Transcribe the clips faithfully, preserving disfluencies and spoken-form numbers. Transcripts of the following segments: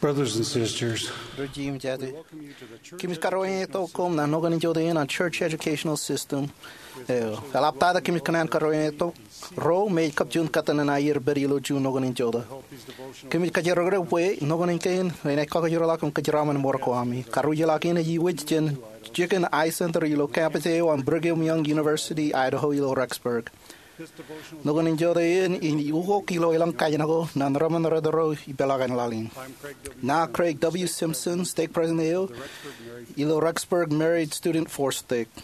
Brothers and sisters, Ro jimjate, kōmij karuwaingetok koṃ naan noknen in jota in an Church Educational System eo. Eḷaptata kōmij kōṇaan karuwaingetok ro me ej kab juon kōttan in aier pād ilo juon noknen in jota. Kōmij kajerkakdik bwe noknen kein enaaj kakajoorḷọk im kōjeraaṃṃan ṃōrok ko ami. Karuj ḷọk in ej iwōj jān jikin Eye Center ilo campus eo an Brigham Young University Idaho ilo Rexburg. Noknen in jota in ej ukok ilo elōñ kajin ko naan reṃṃan ro ipeḷaakin laḷ in. Ṇa Craig W. Simpson, stake president eo ilo Rexburg Married Student Force Stake.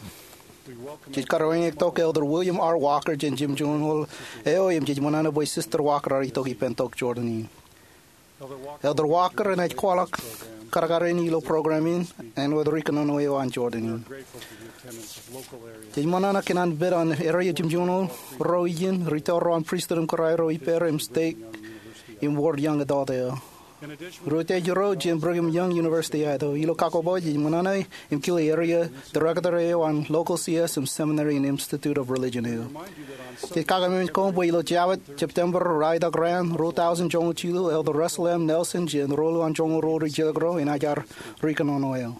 Jej karuwaingetok Elder William R. Walker jān jimjuonñoul eo im jej ṃōṇōṇō bwe Sister Walker ear itok ippān tok Jordan in. Elder Walker enaaj kwaḷọk kadkadin ilo program in āinwōt ri kōnono eo an Jordan in. Jej ṃōṇōṇō kōn an pād an area jimjuonñoul ro ijin, ri tōl ro an pristut im kōrā ro ippāer im stake im ward young adult eo. Ri utiej ro jān Brigham Young University Idaho. Ilo kakkoboj jej ṃōṇōṇō im kile area director eo an local C S im seminary im Institute of Religion eo. Jej kakaememej koṃ bwe ilo Jabōt, September, ralitōk raan, ruo tọujin joñoul jilu, Elder Russell M. Nelson jān ruo an joñoul ruo ri jilkinro enaaj ar ri kōnono eo.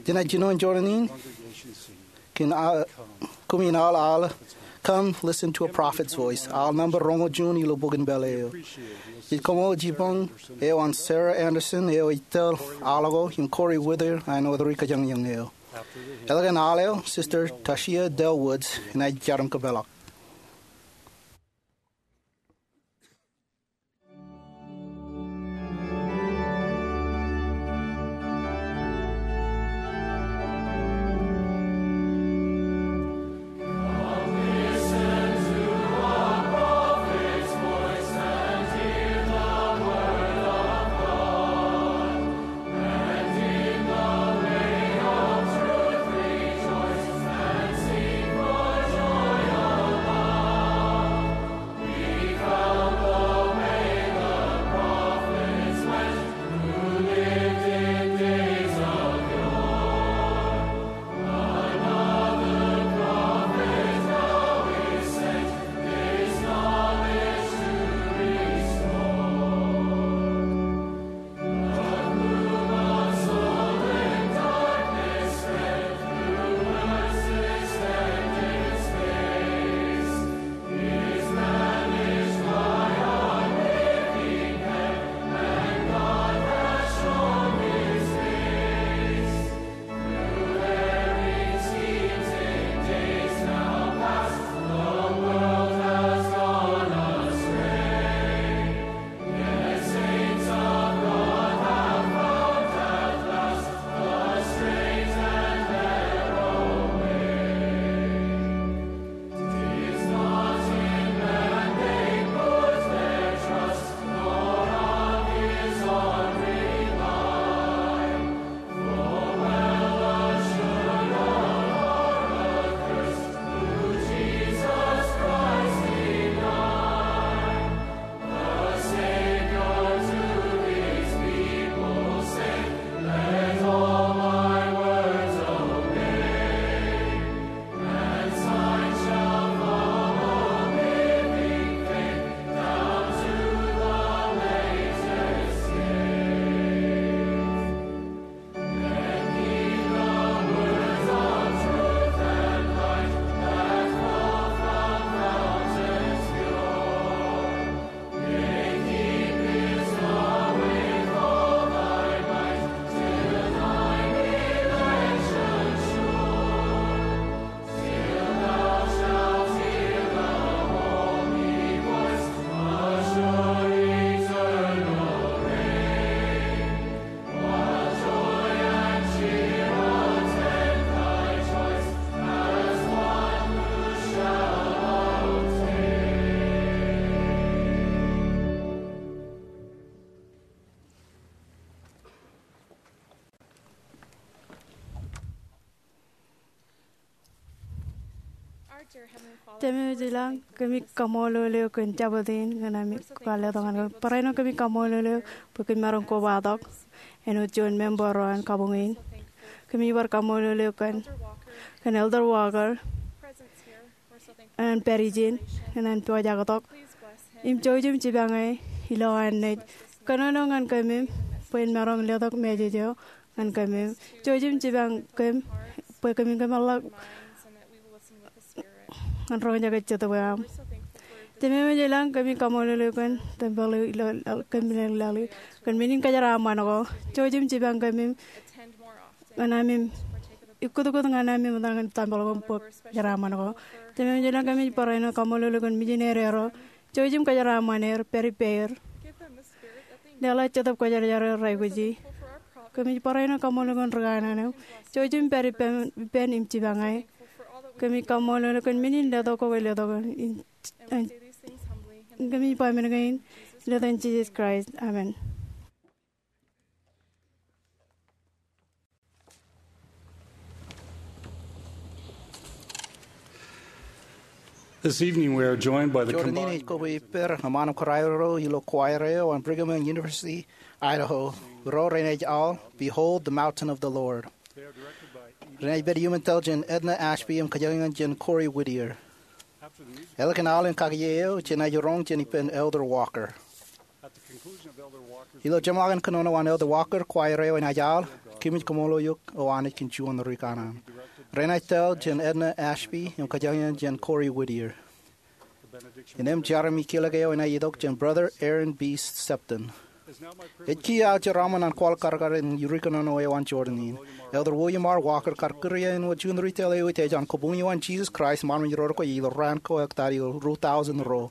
Jenaaj jino in Jordan in kōn aḷ, kōmij aḷ aḷ Come Listen to a Prophet's Voice, aḷ nōṃba roñoul juon ilo bok in pālle eo. Jej kaṃool jipañ eo an Sarah Anderson eo ej tōl aḷ ko im Corey Wither āinwōt ri kajañjañ eo. Eḷap an aḷ eo, Sister Tashia Dell Woods enaaj jar im kōpeḷḷọk. Jemem ilañ, kōmij kaṃṃoolol eok kōn Jabōt in ñan ami kwaḷọk ñan kōm. Barāinwōt kōmij kaṃṃoolol eok bwe kōm maroñ kobatok āinwōt juon member eo an kabuñ in. Kōmij bar kaṃṃoolol eok kōn, kōn Elder Walker, an pād ijin, an pojak tok. Im jouj im jipañe ilo an naaj Kōnono ñan kōmij bwe in maroñ letok message eo ñan kōmij. Jouj im jipañ kōm bwe kōmin kōmeḷḷọk ñan roñjake Jetōb eo aṃ. Jemem ilañ, kōmij kaṃṃoolol eok kōn tempeḷ eo ilo kōm meḷeḷe kōn men in kōjeraaṃṃan ko. Jouj im jipañ kōmij ñan amim ikkūtkūt ñan amim etal ñan tempeḷ ko im bōk jeraaṃṃan ko. Jemem ilañ, kōmij barāinwōt kaṃṃoolol eok kōn mijinede ro. Jouj im kōjeraaṃṃan er, pād ippāer. Leḷọk Jetōb Kwōjarjar eo rej aikuji. Kōmij barāinwōt kaṃṃoolol eok kōn ri kanaan eo. Jouj im pād ippān, ippān im jipañ e. Kōmij kaṃṃoolol eok kōn men in letok ko ke letok in, in, kōmij ba men kein ilo etan Jisōs Kraist. Amen. This evening we are joined by the Jọteen in combined ej kobwe ippād eṃṃaan im kōrā ro ilo choir eo an Brigham Young University, Idaho. Ro renaaj aḷ Behold the Mountain of the Lord. Renaaj pād iuṃwin tōl jān Edna Ashby im kōjañjañ jān Corey Whittier. Ālikin aḷ in kakiiō eo, jenaaj roñ jān ippān Elder Walker. Ilo jeṃḷọkin kōnono an Elder Walker, choir eo enaaj aḷ Kōmij Kaṃṃoolol Eok O Anij kōn Juon Ri Kanaan. Renaaj tōl jān Edna Ashby im kōjañjañ jān Corey Whittier. Innām jar im ikōḷọk eo enaaj itok jān Brother Aaron B. Septon. Ej kiiō aō jeraaṃṃan an kwaḷọk karkar in ri kōnono eo an Jọteen in. Elder William R. Walker, kar kūr eō āinwōt juon ri tōl eo eteej an Kabuñ eo an Jisōs Kraist im Armej Rorokwe ilo raan ko ektaad ilo ruo tọusōn ruo.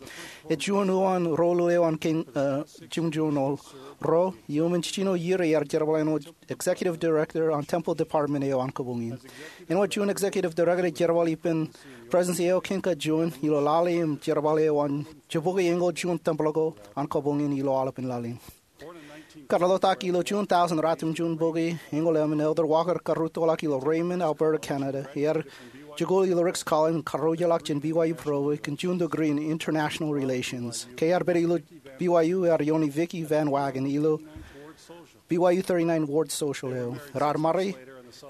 Ej juon uwaan ro ḷọk eo an kein, eh, jimjuon ro. Iuṃwin jiljino iiō ear jerbal āinwōt Executive Director an Temple Department eo an kabuñ in. Āinwōt juon Executive Director ej jerbal ippān Presidency eo kein kajuon ilo lale im jerbal eo an jibukwi eñoul juon tempeḷ ko an kabuñ in ilo aolepān laḷ in. Kar ḷotak ilo June tọusōn ratimjuon bukwi eñoul emān, Elder Walker karūttoḷọk ilo Raymond, Alberta, Canada. Ear jikuuḷ ilo Ricks College im karuijlọk jān B Y U Provo kōn juon degree in International Relations. Ke ear pād ilo B Y U ear iooni Vicki Van Wagen ilo B Y U thirty-nine Ward Social eo. Raar ṃare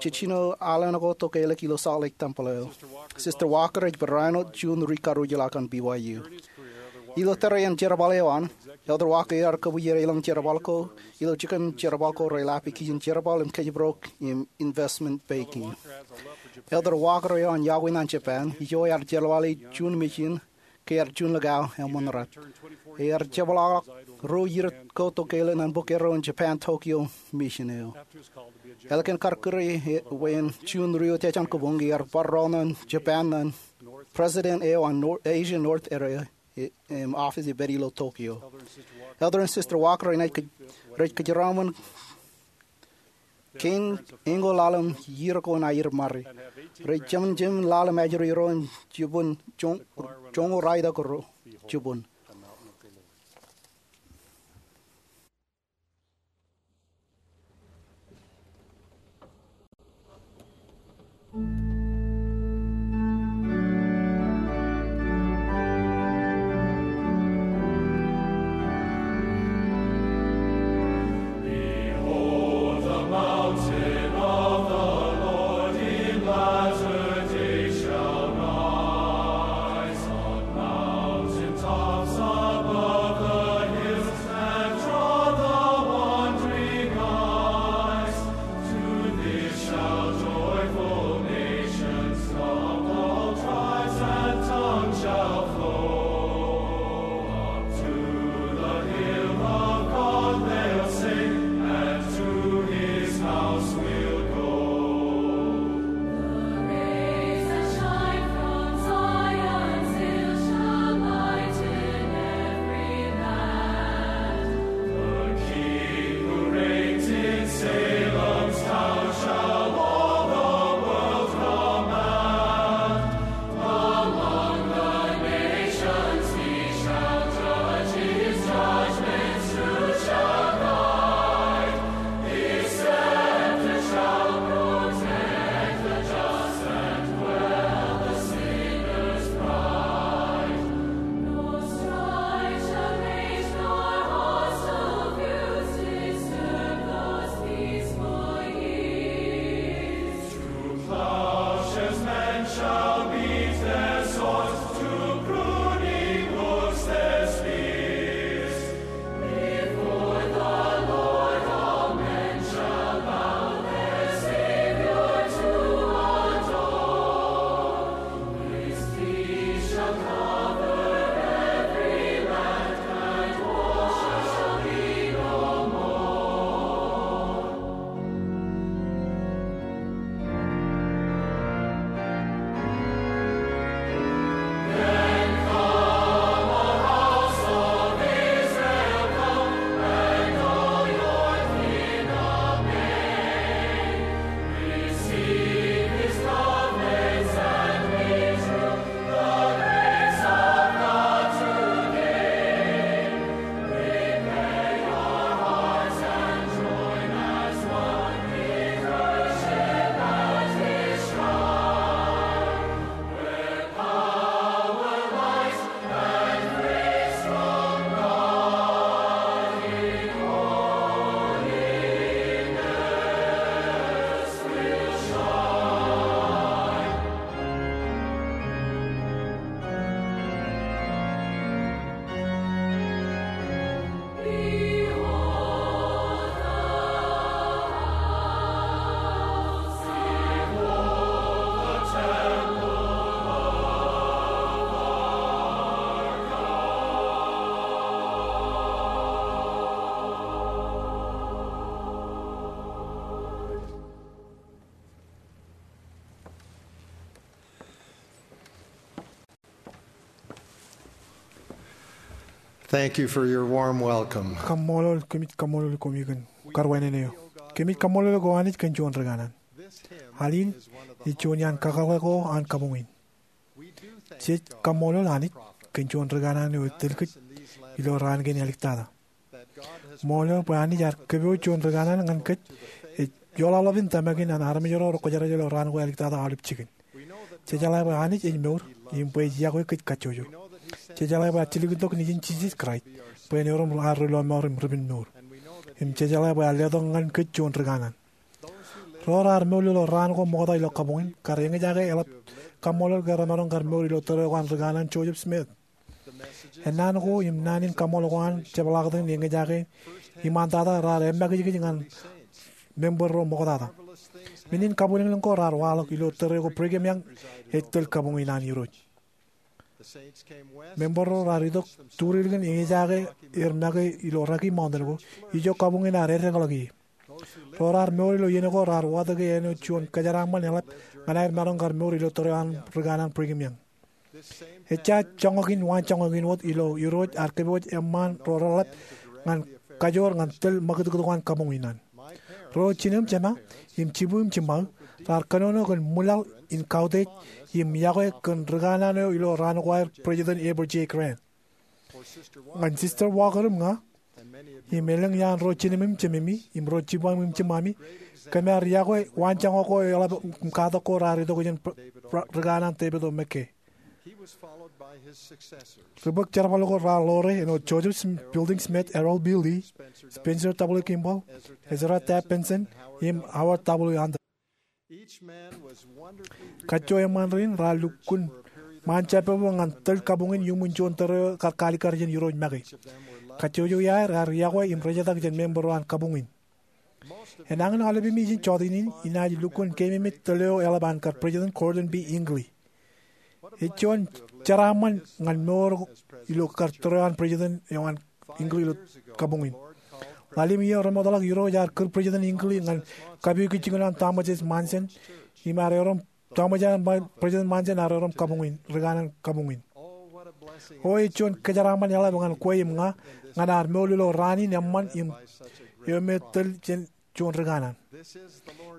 jiljino aḷ ko tokālik ilo Salt Lake Temple eo. Sister Walker ej barāinwōt juon ri karuijlọk an B Y U. Ilo tōre in jerbal eo an, Elder Walker ear kōbuuier elōñ jerbal ko ilo jikin jerbal ko reḷap ikijjien jerbal im kōjparok im investment banking. Elder Walker eo an iọkwe ñan Japan, ijo ear jerbale juon mission ke ear juon likao eṃṃan rat. Ear jepḷaakḷọk ruo iiō ko tokālik ñan bōk erro in Japan Tokyo mission eo. Ālikin kar kūr eō bwe en juon ri oteej an kabuñ, ear bar ro ñan Japan ñan president eo an Nor-, Asia North Area, e, im office ej pād ilo Tokyo. Elder and Sister Walker renaaj kōj-, rej kōjeraaṃṃan kein eñoul ḷalem iiō ko in aer ṃare. Rej jemān jemān ḷalem ajri ro im jibwin joñ-, joñoul ralitōk ro jibwin. Behold, the mountain of the Lord in latter days shall rise on mountain tops. Thank you for your warm welcome. Kaṃṃoolol, kōmij kaṃṃoolol koṃ kōn karuwainene eo. Kōmij kaṃṃoolol eok O Anij kōn juon ri kanaan. Al in ej juon iaan kakōḷḷe ko an kabuñ in. Jej kaṃṃoolol Anij kōn juon ri kanaan eo ej tōl kōj ilo raan kein āliktata. Ṃool eo bwe Anij ear kōpooj juon ri kanaan ñan kōj ej joḷọḷọk in tōmak in an armej ro rekwōjarjar ilo raan ko āliktata aolep jikin. Jejeḷā bwe Anij ej mour im bwe ej yokwe kōj kajjojo. Jejeḷā bwe ejjeḷọk itok Nejin Jisōs Kraist bwe en erom ad ri lọmọọr im Ri-pād mour. Im jejeḷā bwe ear letok ñan kōj juon ri kanaan. Ro raar mour ilo raan ko ṃokta ilo kabuñ in kar eñjake eḷap kaṃṃoolol ke remaroñ kar mour ilo tōre ko an ri kanaan Joseph Smith. Ennaan ko im naan in kaṃṃoolol ko an jepḷaaktok in eñjake iṃaantata raar emakijkij ñan member ro ṃoktata. Men in kabwilōñlōñ ko raar waḷọk ilo tōre ko Brigham Young ej tōl kabuñ in an Irooj. Member ro raar itok turilik in eñjake er make ilo Rocky Mountain ko, ijo kabuñ in ear eddekḷọk ie. Ro raar mour ilo iien ko raar watōke āinwōt juon kōjeraaṃṃan eḷap ñan aer maroñ kar mour ilo tōre an ri kanaan Brigham Young. Ejja joñak in waanjoñak in wōt ilo Irooj ear kōpooj eṃṃaan ro reḷap ñan kajoor ñan tōl ṃakūtkūt ko an kabuñ in an. Ro jinō im jema im jibu im jiṃṃaō raar kōnono kōn ṃwilaḷ in kautiej im yokwe kōn ri kanaan eo ilo raan ko aer President Heber J. Grant. Ñan Sister Walker im ña im elōñ iaan ro jinōmi im jememi im ro jibaṃ im jiṃṃami, kōm ar yokwe waanjoñak ko eḷap im katak ko raar itok jān ri kanaan David O. McKay. Ri bōk jerbal ko raar ḷoore āinwōt Joseph Fielding Smith, Harold B. Lee, Spencer W. Kimball, Ezra Taft Benson, im Howard W. Hunter. Kajjo eṃṃaan rein raar lukkuun ṃaan jabōbōb ñan tōl kabuñ in iuṃwin juon tōre eo kar kaalikkar jān Irooj make. Kajjojo iaer ear yokwe im rejetak jān member ro an kabuñ in. Enañin aolepemi ijin jọteen in inaaj lukkuun keememej tōl eo eḷap an kar President Gordon B. Hinckley. Ej juon jeraaṃṃan ñan mour ilo kar tōre eo an President eo an Hinckley ilo kabuñ in. Ḷalem iiō remootḷọk Irooj ear kūr President Hinckley ñan kapukwi jikin eo an Thomas S. Monson im ear erom Thomas, President Monson ear erom kabuñ in, ri kanaan kabuñ in. O, ej juon kōjeraaṃṃan eḷap ñan kwe im ña ñan ad mour ilo raan in eṃṃan im eo me tōl jān juon ri kanaan.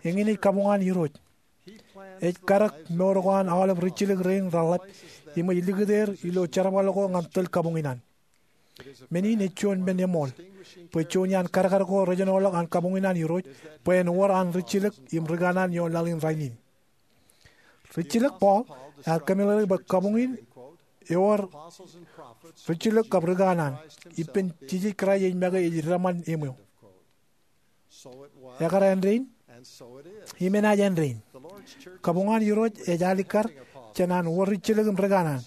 Eñin ej kabuñ an Irooj. Ej kadek mour ko an aolep rijjilōk rein reḷap im ej likūt er ilo jerbal ko ñan tōl kabuñ in an. Men in ej juon men eṃool bwe juon iaan kadkad ko rejenoḷọk an kabuñ in an Irooj bwe en wōr an rijjilōk im ri kanaan ioon laḷ in rainin. Rijjilōk Paul ear kōmeḷeḷeik bwe kabuñ in ewōr rijjilōk kab ri kanaan, ippān Jisōs Kraist ej make ej dedeṃṃan eṃweo. Ekar āindein im enaaj āindein. Kabuñ an Irooj ej alikkar jān an wōr rijjilōk im ri kanaan,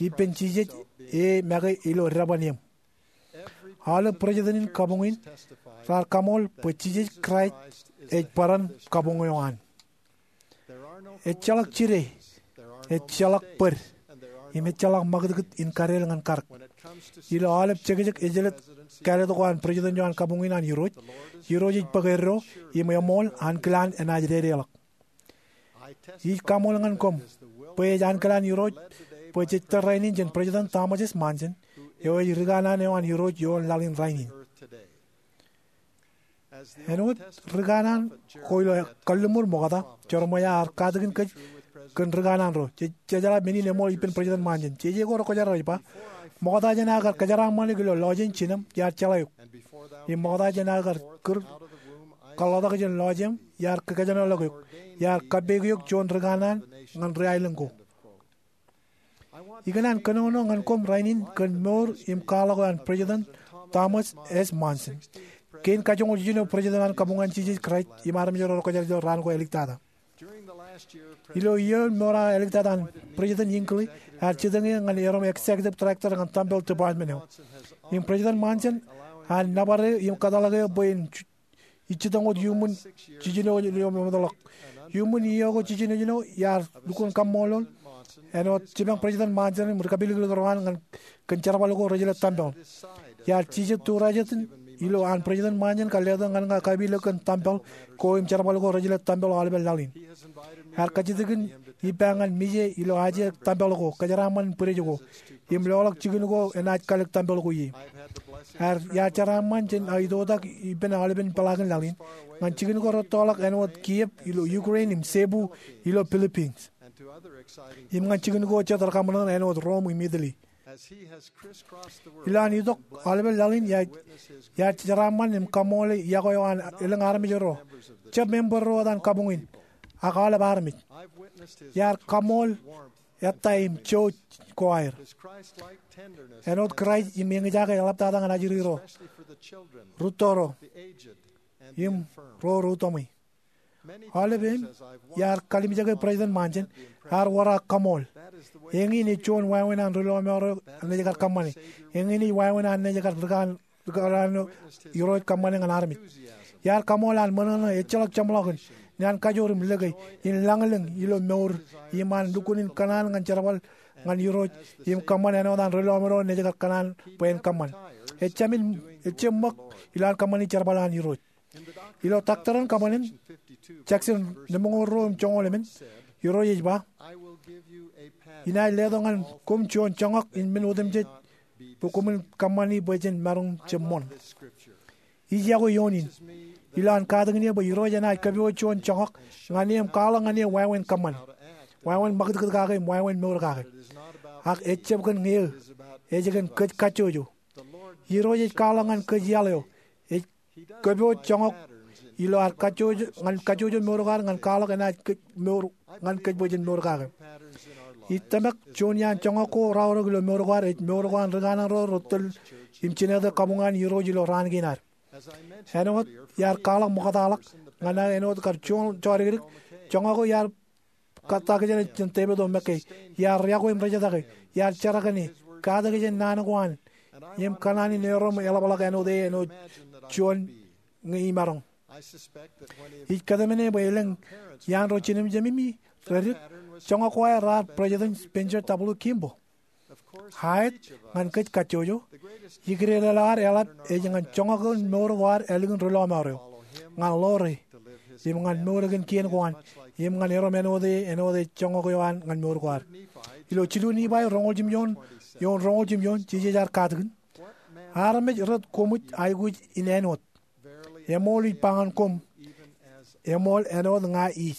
ippān Jisōs e make ilo dedeṃṃan eṃ. Aolep president in kabuñ in raar kaṃool bwe Jisōs Kraist ej bōran kabuñ eo an. Ejjeḷọk jide, ejjeḷọk bōd, im ejjeḷọk ṃakūtkūt in kadeel ñan kadek. Ilo aolep jekjek ejjeḷọk kāālōt ko an president eo an kabuñ in an Irooj, Irooj ej bōk eddo im eṃool ankilaan enaaj dedeḷọk. Ij kaṃool ñan koṃ bwe ej ankilaan Irooj bwe jej tōl rainin jān President Thomas S. Monson, eo ej ri kanaan eo an Irooj ioon laḷ in rainin. Āinwōt ri kanaan ko ilo kalliṃur ṃokta, Jeremiah ear katakin kōj kōn ri kanaan ro. Jej jeḷā men in eṃool ippān President Monson. Jeje ko rekwōjarjar ej ba, ṃokta jān aō kar kōjeraaṃṃan eok ilo lọjien jinōṃ, iar jeḷā eok. Im ṃokta jān aō kar kūr kōḷḷotak jān lọjeṃ, iar kōkōjenoḷọk eok. Iar kappok eok juon ri kanaan ñan ri aelōñ ko. Ikōṇaan kōnono ñan koṃ rainin kōn mour im kwaḷọk eo an President Thomas S. Monson, kein kajoñoul jiljino president an kabuñ an Jisōs Kraist im armej ro rekwōjarjar ilo raan ko āliktata. Ilo iiō mour eo āliktata an, President Hinckley ear jitōñ eō ñan erom executive director ñan tempeḷ department eo. Im President Monson ear nōbar eō im kōtḷọk eō bwe en ijjitōñ wōt iuṃwin jiljino eo eṃōtḷọk. Iuṃwin iiō ko jiljino, iar lukkuun kaṃṃoolol āinwōt jipañ President Monson im ri kapilikliki ro an ñan kōn jerbal ko rej ilo tempeḷ. Iar jijet turajet in ilo an President Monson kar letok ñan ña kapilōk kōn tempel ko im jerbal ko rej ilo tempel aolepen laḷ in. Ear kajjitōkin ippa ñan mije ilo aje tempel ko, kōjeraaṃṃan bwidej ko, im loḷọk jikin ko enaaj kalōk tempel ko ie. Ear, iar jeraaṃṃan jān aō itoitak ippān aolepen peḷaakin laḷ in ñan jikin ko rettoḷọk āinwōt Kyiv ilo Ukraine im Cebu ilo Philippines, im ñan jikin ko jet rekaṃṃan āinwōt Rome im Italy. Ilo an itok aolepen laḷ in, iar, iar jeraaṃṃan im kaṃṃoole iọkwe eo an elōñ armej ro, jab member ro wōt an kabuñ in, ak aolep armej. Iar kaṃṃool ettā im jouj ko aer āinwōt Kraist im eñjake eḷaptata ñan ajri ro, rūtto ro, im ro ri utomwe. Aolepān iar kalimjeke President Monson, ear wōr aō kaṃṃool. Eñin ej juon wāween an ri lọmọọr eo an naaj kar kōṃṃane. Eñin ej wāween an naaj kar rikanaan, rikanaan Irooj kōṃṃane ñan armej. Iar kaṃṃool an ṃōṇōṇō ejjeḷọk jeṃḷọkin, naan kajoor im lōke, in lañlōñ ilo mour, im an lukkuun in kōṇaan ñan jerbal ñan Irooj, im kōṃṃan āinwōt an ri lọmọọr eo naaj kar kōṇaan bwe en kōṃṃan. Ejāmin, ejjab ṃōk ilo an kōṃṃani jerbal an Irooj. Ilo Doctrine and Covenants, section lemñoul ruo im joñoul emān, Irooj ej ba, inaaj letok ñan koṃ juon joñak in men otemjej bwe koṃwin kōṃṃani bwe jen maroñ jab ṃoṇ. Ij iọkwe eoon in ilo an katakin eō bwe Irooj enaaj kōpooj juon joñak ñan e im kwaḷọk ñan e wāween kōṃṃan, wāween ṃakūtkūt kake im wāween mour kake. Ak ejjab kōn ñe eō, ej kōn kōj kajjojo. Irooj ej kwaḷọk ñan kōj iaḷ eo. Ej kōpooj joñak ilo ad kajjojo, ñan kajjojo mour ko ad ñan kwaḷọk enaaj kōj mour, ñan kōj bwe jen mour kake. Ij tōmak juon iaan joñak ko raorōk ilo mour ko ad ej mour ko an rikanaan ro retōl im jined kabuñ an Irooj ilo raan kein ad. Āinwōt iar kwaḷọk ṃoktaḷọk ñan aō āinwōt kar juon jodikdik, joñak ko iar katakin jān Devid O. McKay, iar iọkwe im rejetakin, iar jerkakne, katakin jān naan ko an, im kōṇaan in erom eḷapḷọk āinwōt e āinwōt juon ñe imaroñ. Ij kōtmāne bwe elōñ iaan ro jinōmjememi redik, joñak ko aer raar President Spencer W. Kimball. Aet, ñan kōj kajjojo, ikdedeḷọk ad eḷap ej ñan joñak in mour ko ad ālikin ri lọmọọr eo, ñan ḷoore, im ñan mour kōn kien ko an, im ñan erom āinwōt e, āinwōt ej joñak eo an ñan mour ko ad. Ilo jilu Nifai roñoul jimjuon, eoon roñoul jimjuon, Jisōs ear katakin, armej rej koṃij aikuj in āinwōt. Eṃool ij ba ñan koṃ, eṃool āinwōt ña ij.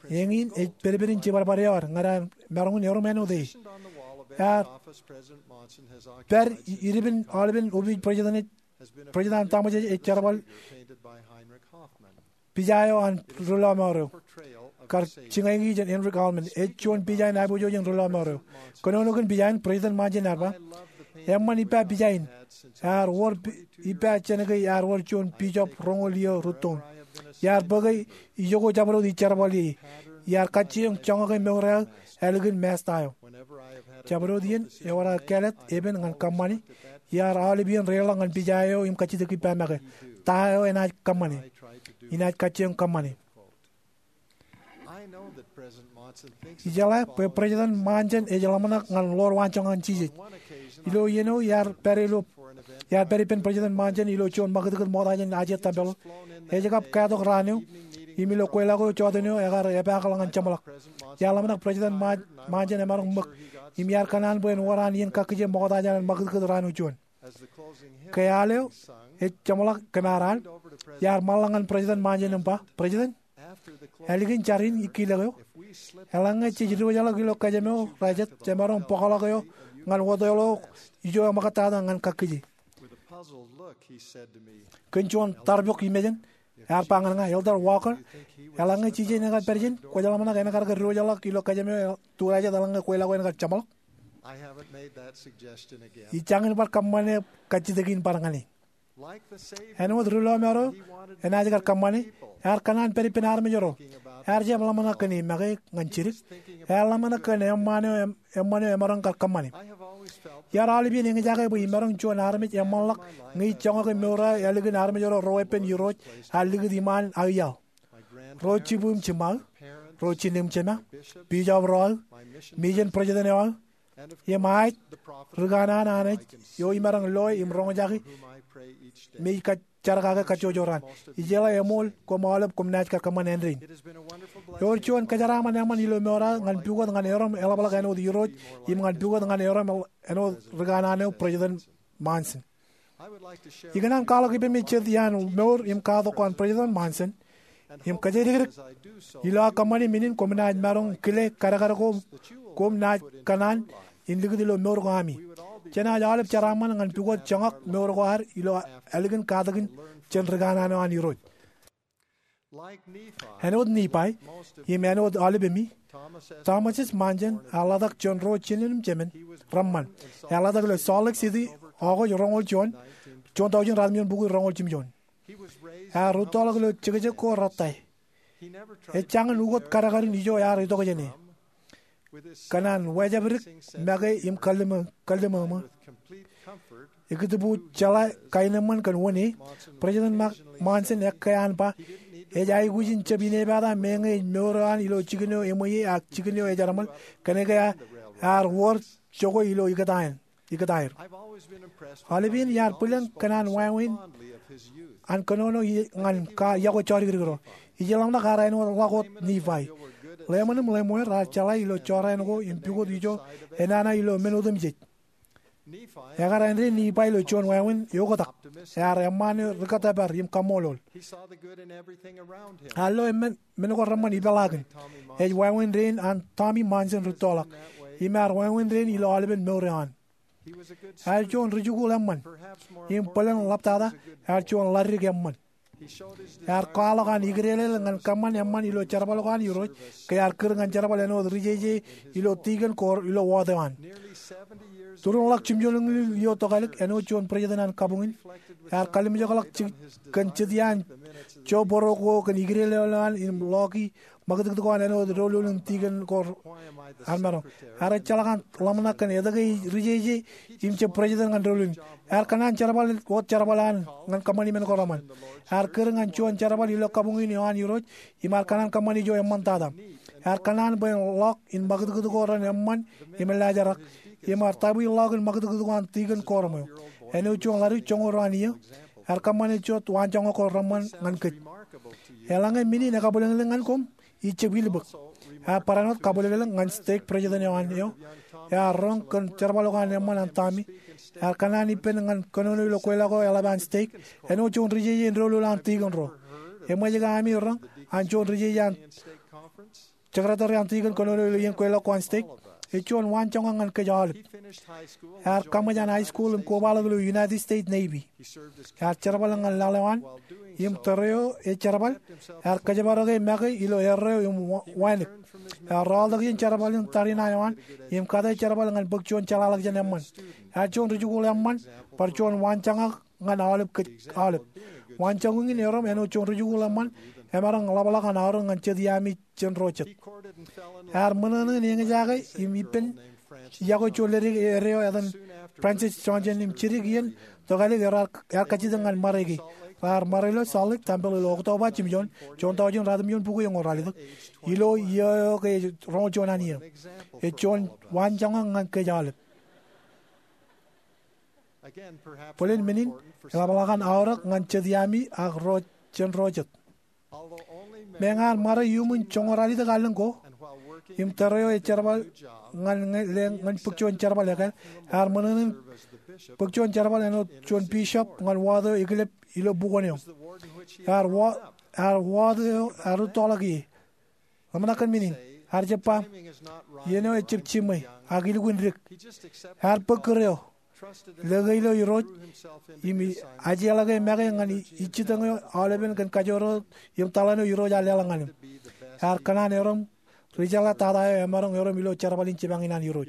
Eñin ej pedped in jibadbad eo ad ñan ad maroñ in erom āinwōt e. Ear pād i-, ippān aolepen opiij president, President an Tōṃas Ej jerbal pija eo an ri lọmọọr eo, kar jiñaiki jān Heinrich Hardeman, ej juon pija in aiboojoj in ri lọmọọr eo. Kōnono kōn pija in, President Monson ear ba, eṃṃan ippa pija in. Ear wōr pi-, ippa jān ke ear wōr juon bishop roñoul iiō rūttoon. Iar bōke ijoko jabdewōt ij jerbal ie. Iar kajjioñ joñak in mour eo ālikin Masta eo. Jabdewōt iien ewōr aō kāālōt epen ñan kōṃṃani, iar aolep iien reiḷọk ñan pija eo im kajjitōk ippa make, ta eo enaaj kōṃṃane, inaaj kajjioñ kōṃṃane. Ijeḷā bwe President Monson ej ḷōmṇak ñan ḷoor waanjoñak in Jisōs. Ilo iien eo iar pād ilo, iar pād ippān President Monson ilo juon ṃakūtkūt ṃokta jān aje tempel, ej kab kātok raan eo, im ilo kweilọk eo jota eo ekar epaakḷọk ñan jeṃḷọk. Iar ḷōmṇak President Ma-, Monson emaroñ ṃōk, im iar kōṇaan bwe en wōr an iien kakkije ṃokta jān an ṃakūtkūt raan eo juon. Ke al eo ej jeṃḷọk kōm ar al, iar ṃaanḷọk ñan President Monson im ba, President, ālikin jar in ikkilōk eo, eḷaññe jej diwōjḷọk ilo kōjām eo rej jab, jemaroñ bōkḷọk eō ñan wōt eo ijo eṃōkaj tata ñan kakkije. Kōn juon tarbok imejān, ear ba ñan ña, Elder Walker, eḷaññe Jisōs en ekar pād ijin, kwōj ḷōmṇak en kar ke diwōjḷọk ilo kōjām eo, tuḷ jet eḷaññe kweilọk eo en kar jeṃḷọk? Ij jañin bar kōṃṃane kajjitōk in bar ñan e. Āinwōt ri lọmọọr eo enaaj kar kōṃṃane, ear kōṇaan pād ippān armej ro. Ear jab ḷōmṇak kōn e make ñan jidik. Ear ḷōmṇak kōn eṃṃaan eo, em-, eṃṃaan eo emaroñ kar kōṃṃane. Iar aolep iien eñjake bwe imaroñ juon armej eṃṃanḷọk ñe ij joñak in mour eo ālikin armej ro reweeppān Irooj ear likūt iṃaan aō iaḷ. Ro jibū im jiṃṃa aō, ro jinūṃ jema, bishop ro aō, mission president eo aō, im aet ri kanaan an ej eo imaroñ loe im roñjake me ij kar jerkake kajjojo raṇ. Ijeḷā eṃool koṃ aolep koṃ naaj kar kōṃṃan āindein rainin. Ewōr juon kōjeraaṃṃan eṃṃan ilo mour eo ñan pukot ñan erom eḷapḷọk āinwōt Irooj im ñan pukot ñan erom āinwōt ri kanaan eo President Monson. Ikōṇaan kwaḷọk ippemi jet iaan mour im katak ko an President Monson im kōjatdikdik. Ilo aō kōṃṃani men in koṃ naaj maroñ kile kadkad ko koṃ naaj kōṇaan in likūt ilo mour ko ami. Jenaaj aolep jeraaṃṃan ñan pukot joñak mour ko ad ilo ālikin katakin jān ri kanaan eo an Irooj. Āinwōt Nifai im āinwōt aolepemi, Thomas S. Monson ear ḷotak jān ro jinen im jemān reṃṃan. Ear ḷotak ilo Salt Lake City August roñoul juon, juon taujin ratimjuon bukwi roñoul jimjuon. Ear rūttoḷọk ilo jekjek ko rettā. Ejjañin ukōt kadkadin ijo ear itok jāne. Kōn an wejāpdik make im kalliṃōṃō, ikōtbu jeḷā kaenōṃṃan kōn wōn e, President Monson ekkā an ba ej aikuj in jab inepata meñe ej mour eo an ilo jikin eo eṃweiie ak jikin eo ejerbal, kōnke ear wōr jokwe ilo ikōtaer. Aolepān iar bwilōñ kōn an wāween an kōnono ñan ka yokwe jodikdik ro. Ij ḷōmṇak ear āinwōt ḷọk wōt Nifai. Lemon im Lemuel raar jeḷā ilo jorrāān ko im pukot ijo enana ilo men otemjej. Ekar āindein Nifai ilo juon wāween eoktak. Ear eṃṃaan eo ri kōttōpar im kaṃṃoolol. Ear lo men ko reṃṃan ipeḷaakin. Ej wāween dein an Tommy Monson rūttoḷọk im ear wāween dein ilo aolepen mour eo an. Ear juon rijikuuḷ eṃṃan im bōlen ḷaptata ear juon ḷaddik eṃṃan. Ear kwaḷọk an ikdeḷeḷe ñan kōṃṃan eṃṃan ilo jerbal ko an Irooj ke ear kūr ñan jerbal āinwōt ri jeje ilo tikōn ko ilo wōt eo an. Tūruon ḷọk jimjuonñoul iiō tokālik āinwōt juon president an kabuñ in, ear kalimjekḷọk kōn jet iaan joboro ko kōn ikdeḷeḷe eo an im ḷọki ṃakūtkūt ko an āinwōt doulul in tikōn ko an maroñ. Ear ejjeḷọk an ḷōmṇak kōn etke ej ri jeje im jab president ñan doulul in. Ear kōṇaan jerbal wōt jerbal an ñan kōṃṃani men ko reṃṃan. Ear kūr ñan juon jerbal ilo kabuñ in eo an Irooj im ear kōṇaan kōṃṃani ijo eṃṃantata. Ear kōṇaan bwe en ḷọk in ṃakūtkūt ko ren eṃṃan im laajrak. Im ear tabwi ḷọk in ṃakūtkūt ko an tikōn kōrṃo eo, āinwōt juon ḷaddik joñoul ruo an iiō. Ear kōṃṃane jet waanjoñak ko reṃṃan ñan kōj. Eḷaññe men in ekabwilōñlōñ ñan koṃ, ij jab ilbōk. Ear barāinwōt kabwilōñlōñ ñan stake president eo an eo ear roñ kōn jerbal ko an eṃṃan an Tommy. Ear kōṇaan ippān ñan kōnono ilo kweilọk eo eḷap an stake āinwōt juon ri jeje in doulul an tikōn ro. Eṃōj ke ami roñ an juon ri jeje an secretary an tikōn kōnono ilo iien kweilọk ko an stake? Ej juon waanjoñak ñan kōj aolep. Ear kaṃōj an high school im kobaḷọk ilo United States Navy. Ear jerbal ñan laḷ eo an, im tōre eo ej jerbal, ear kōjparok e make ilo erreo im wa-, wānōk. Ear rọọltok iien jerbal in tariṇae eo an, im kate jerbal ñan bōk juon jeḷāḷọkjeṇ eṃṃan. Ear juon rijikuuḷ eṃṃan, bar juon waanjoñak ñan aolep kōj aolep. Waanjoñak in erom āinwōt juon rijikuuḷ eṃṃan, emaroñ ḷapḷọk an aorōk ñan jet iaami jān ro jet. Ear ṃōṇōṇō in eñjake im ippān yokwe juon ledik eddo eo etan Francis Johnson im jidik iien tokālik ear, ear kajjitōk ñan ṃare ke. Raar ṃare ilo Salt Lake Temple ilo October jimjuon, juon taujin ratimjuon bukwi eñoul ralitōk, ilo iiō eo ke ej roñoul juon an iiō. Ej juon waanjoñak ñan kōj aolep. Bōlen men in eḷapḷọk an aorōk ñan jet iaami ak ro jān ro jet. Meñe ear ṃare iuṃwin joñoul ralitōk allōñ ko, im tōre eo ej jerbal ñan, ñe, le, ñan bōk juon jerbal ekāāl, ear ṃōṇōṇō in bōk juon jerbal āinwōt juon bishop ñan wōt eo eklep ilo bukwōn eo. Ear wōt, ear wōt eo ear rūttoḷọk ie. Ḷōmṇak kōn men in, ear jab ba, iien eo ejab jiṃwe, ak ilukkuun dik. Ear bōk kūr eo, lōke ilo Irooj, im ajeḷọke make ñan i-, ijjitōñ eo aolepen kōn kajoor eo im taḷan eo Irooj ear leḷọk ñan im. Ear kōṇaan erom ri jeḷā tata eo emaroñ erom ilo jerbal in jipañ in an Irooj.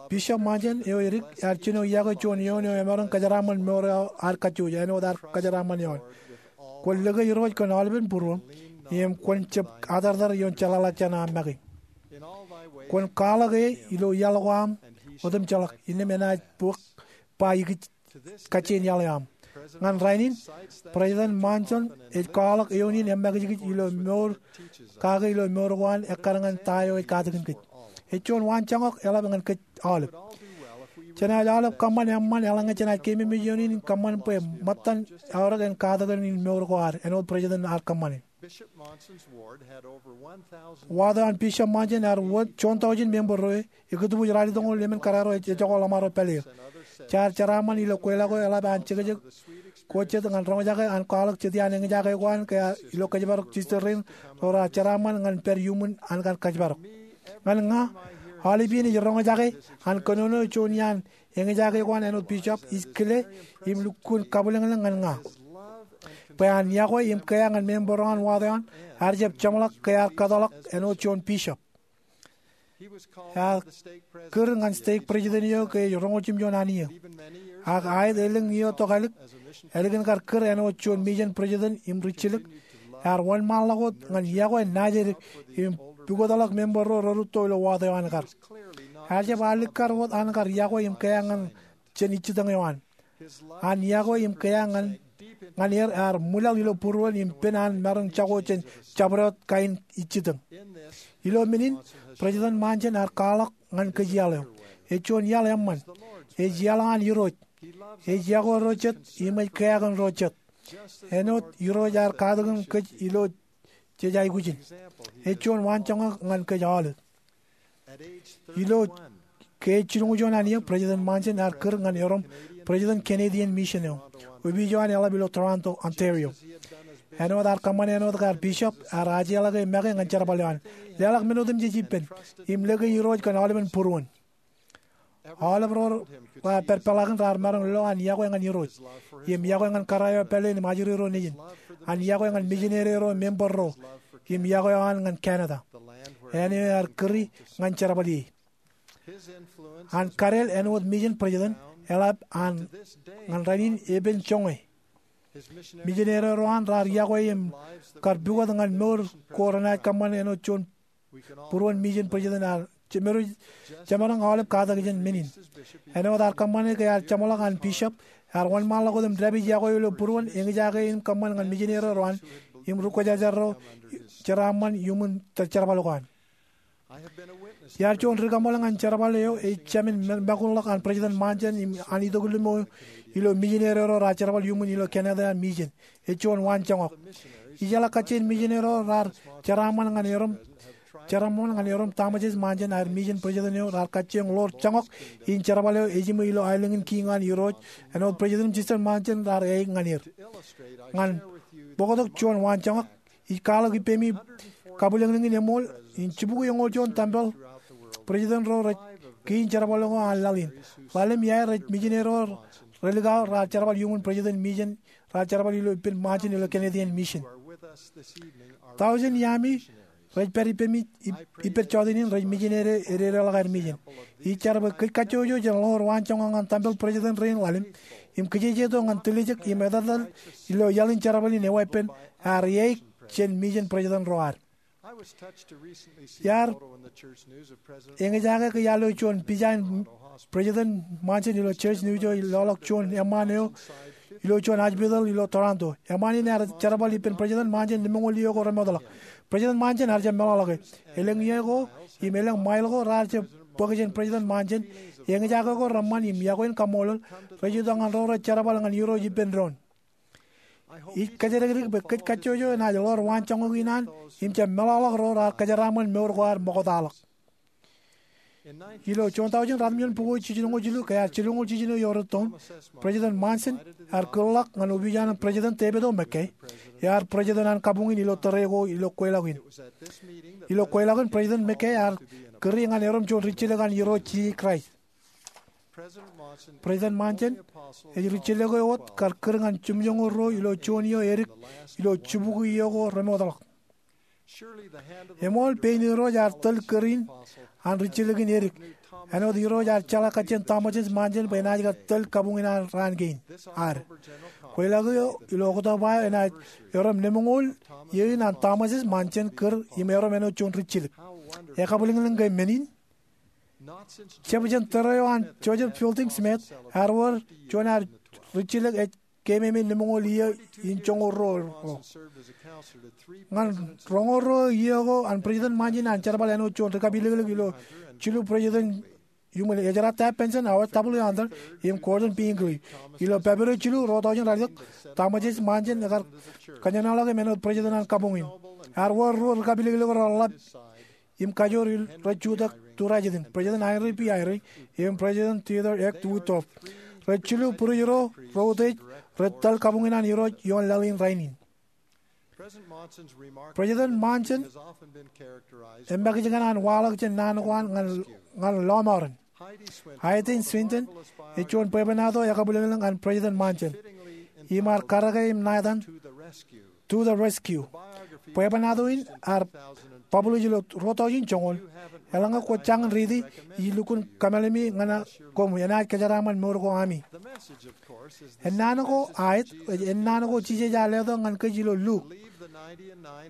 Bishop Monson eo edik ear jino yokwe juon eoon eo emaroñ kōjeraaṃṃan mour eo ad kajjojo āinwōt ear kōjeraaṃṃan eoon. Kwōn lōke Irooj kōn aolepen būruōṃ, im kwōn jab atartar ioon jeḷāḷọkjeṇ aṃ make. Kwōn kwaḷọk e ilo iaḷ ko aṃ otemjeḷọk, innām enaaj bōk ba ikōj kajjien iaḷ eo aṃ. Ñan rainin, President Monson ej kwaḷọk eoon in emakijkij ilo mour, kake ilo mour ko an ekkar ñan ta eo ej katakin kōj. Ej juon waanjoñak eḷap ñan kōj aolep. Jenaaj aolep kōṃṃan eṃṃan eḷaññe jenaaj keememej ioon in kōṃṃan bwe ṃōttan aorōk en katakin in mour ko ad, āinwōt Brijitōn ear kōṃṃane. Waḷọk eo an Bishop Monson ear wōt juon tọujin member ro, ekkā tōbōj ralitōñoul emān kōrā ro ejako ḷōṃaro pālle eo. Jaar jeraaṃṃan ilo kweilọk eo eḷap an jekjek ko jet ñan roñjake an kwaḷọk jet iaan eñjake ko an ke ilo kōjparok jijet rein ro raar jeraaṃṃan ñan pād iuṃwin an kar kōjparok. Ñan ña, aolep iien ej roñjake an kōnono juon iaan eñjake ko an āinwōt bishop, ij kile im lukkuun kabwilōñlōñ ñan ña bwe an yokwe im kea ñan member ro an waḷọk eo an ear jab jeṃḷọk ke ear kōtḷọk āinwōt juon bishop. Ear kūr ñan stake brijitōn eo ke ej roñoul jimjuon annier. Ak aet elōñ iiō tok ālik, ālikin kar kūr āinwōt juon mijen brijitōn im rijjilōk, ear wōnṃaanḷọk wōt ñan yokwe naajdik im pukotḷọk member ro rerūtto ilo waḷọk eo an kar. Ear jab alikkar wōt an kar yokwe im kea ñan jān ijjitōñ eo an. An yokwe im kea ñan er ear ṃwilaḷ ilo būruon im pen an maroñ jako jān jabdewōt kain ijjitōñ. Ilo men in, Brijitōn Monson ear kwaḷọk ñan kōj iaḷ eo. Ej juon iaḷ eṃṃan. Ej iaḷ eo an Irooj. Ej yokwe ro jet im ej keakin ro jet, āinwōt Irooj ear katakin kōj ilo jej aikuj in. Ej juon waanjoñak ñan kōj aolep. Ilo ke ej jilñuul juon annier, Brijitōn Monson ear kūr ñan erom Brijitōn Canadian Mission eo, opiij eo an eḷap ilo Toronto, Ontario. Āinwōt ear kōṃṃane āinwōt ke ear bishop, ear ajeḷā ke make ñan jerbal eo an, leḷọk men otemjej ippān, im lōke Irooj kōn aolepen būruon. Aolep ro raar pād peḷaakin raar maroñ lo an yokwe ñan Irooj, im yokwe ñan kōrā eo pālle in im ajri ro nejin, an yokwe ñan mijineri ro, member ro, im yokwe eo an ñan Canada, āne eo ear kūri ñan jerbal ie. An kadeel āinwōt mijen brijitōn eḷap an ñan rainin epen joñe. Mijineri ro an raar yokwe im kar pukot ñan mour ko renaaj kōṃṃane āinwōt juon būruon mijen brijitōn ear jemaroñ aolep katak jān men in. Āinwōt ear kōṃṃane ke ear jeṃḷọk an bishop, ear wōnṃaanḷọk wōt im dāpij yokwe eo ilo būruon eñjake in kōṃṃan ñan mijineri ro an im ri kwōjarjar ro jeraaṃṃan iuṃwin jerbal ko an. Iar juon ri-kaṃṃool ñan jerbal eo ej jāmin mākunḷọk an Brijitōn Monson im an itok limo ilo mijineri ro raar jerbal iuṃwin ilo Canada mission. Ej juon waanjoñak. Ijeḷā kajjien mijineri ro raar jeraaṃṃan ñan erom jeraaṃṃan ñan erom Thomas S. Monson aer mission brijitōn eo raar kajjioñ ḷoor joñak in jerbal eo ejiṃwe ilo aelōñ in kiiñ an Irooj āinwōt Brijitōn im Sister Monson raar eaik ñan er. Ñan bōktok juon waanjoñak, ij kwaḷọk ippemi kabwilōñlōñ in eṃool in jibukwi eñoul juon tempel brijitōn ro rej kiiñ jerbal ko an laḷ in. Ḷalem iaer rej mijineri ro relikao raar jerbal iuṃwin brijitōn mission raar jerbal ilo ippān Monson ilo Canadian mission. Tọujin iaami rej pād ippemi, ip-, ippād jọteen in rej mijineri ededeḷọk aer mission. Ij jar bwe kōj kajjojo jen ḷoor waanjoñak ñan tempel brijitōn rein ḷalem im kijejeto ñan tiljek im etetal ilo iaḷ in jerbal in eweeppān ear eaik jān mission brijitōn ro ad. Iar eñjake ke iar lo juon pija in Brijitōn Monson ilo church news eo ej loḷọk juon eṃṃaan eo ilo juon hospital ilo Toronto. Eṃṃaan in ear jerbal ippān Brijitōn Monson lemñoul iiō ko remootḷọk. Brijitōn Monson ear jab meḷọkḷọke. Elōñ iiō ko im elōñ ṃail ko raar jab bōk jān Brijitōn Monson. Eñjake ko reṃṃan im iọkwe in kaṃṃoolol rej itok ñan ro rej jerbal ñan Irooj ippān doon. Ij kōjatdikdik bwe kōj kajjojo enaaj ḷoor waanjoñak in an im jab meḷọkḷọk ro raar kōjeraaṃṃan mour ko ad ṃoktaḷọk. Ilo juon tọujin ratimjuon bukwi jilñuul jilu ke ear jilñuul jiljino ioon rūttoon, Brijitōn Monson ear kūrḷọk ñan opiij eo an Brijitōn David O. McKay, ear Brijitōn an kabuñ in ilo tōre ko ilo kweilọk in. Ilo kweilọk in Brijitōn McKay ear kūri ñan erom juon rijjilōk an Irooj Jisōs Kraist. Brijitōn Monson ej rijjilōk eo wōt kar kūr ñan jimjuonñoul ruo ilo juon iiō edik ilo jibukwi iiō ko remootḷọk. Eṃool pein Irooj ear tōl kūr in an rijjilōk in edik, āinwōt Irooj ear jeḷā kajjien Thomas S. Monson bwe enaaj kar tōl kabuñ in an raan kein ad. Kweilọk eo ilo Oktoba eo enaaj erom lemñoul iiō in an Thomas S. Monson kūr im erom āinwōt juon rijjilōk. Ekabwilōñlōñ ke men in? Jab jān tōre eo an Joseph Fielding Smith ear wōr juon ad rijjilōk ej keememej nemoñoul iiō in joñoul ruo ro. Ñan roñoul ruo iiō ko an President Monson an jerbal āinwōt juon rikapiliklik ilo jilu President iuṃwin Ezra Taft Benson, Howard W. Hunter, im Gordon B. Hinckley. Ilo February jilu, ruo tọujin ralitōk, Thomas S. Monson ekar kōjenolọk im āinwōt President an kabuñ in. Ear wōr ruo rikapiliklik ro reḷap im kajoor rej jutak turajet in, President Henry B. Eyring im President Theodore F. Woodruff. Rej jilu būruj ro rej utiej rej tōl kabuñ in an Irooj ioon laḷ in rainin. President Monson emakijkan an waḷọk jān naan ko an ñan lọmọọren. Heidi Swinton ej juon bwebwenato ekabwilōñlōñ an President Monson im ear karōke im ṇa etan To the Rescue. Bwebwenato in ear publish ilo ruo tọujin joñoul. Eḷaññe kwō jañin riiti, ij lukkuun kōmālemi ñan koṃ enaaj kōjeraaṃṃan mour ko ami. Ennaan ko aet, ennaan ko Jisōs ear letok ñan kōj ilo Luk,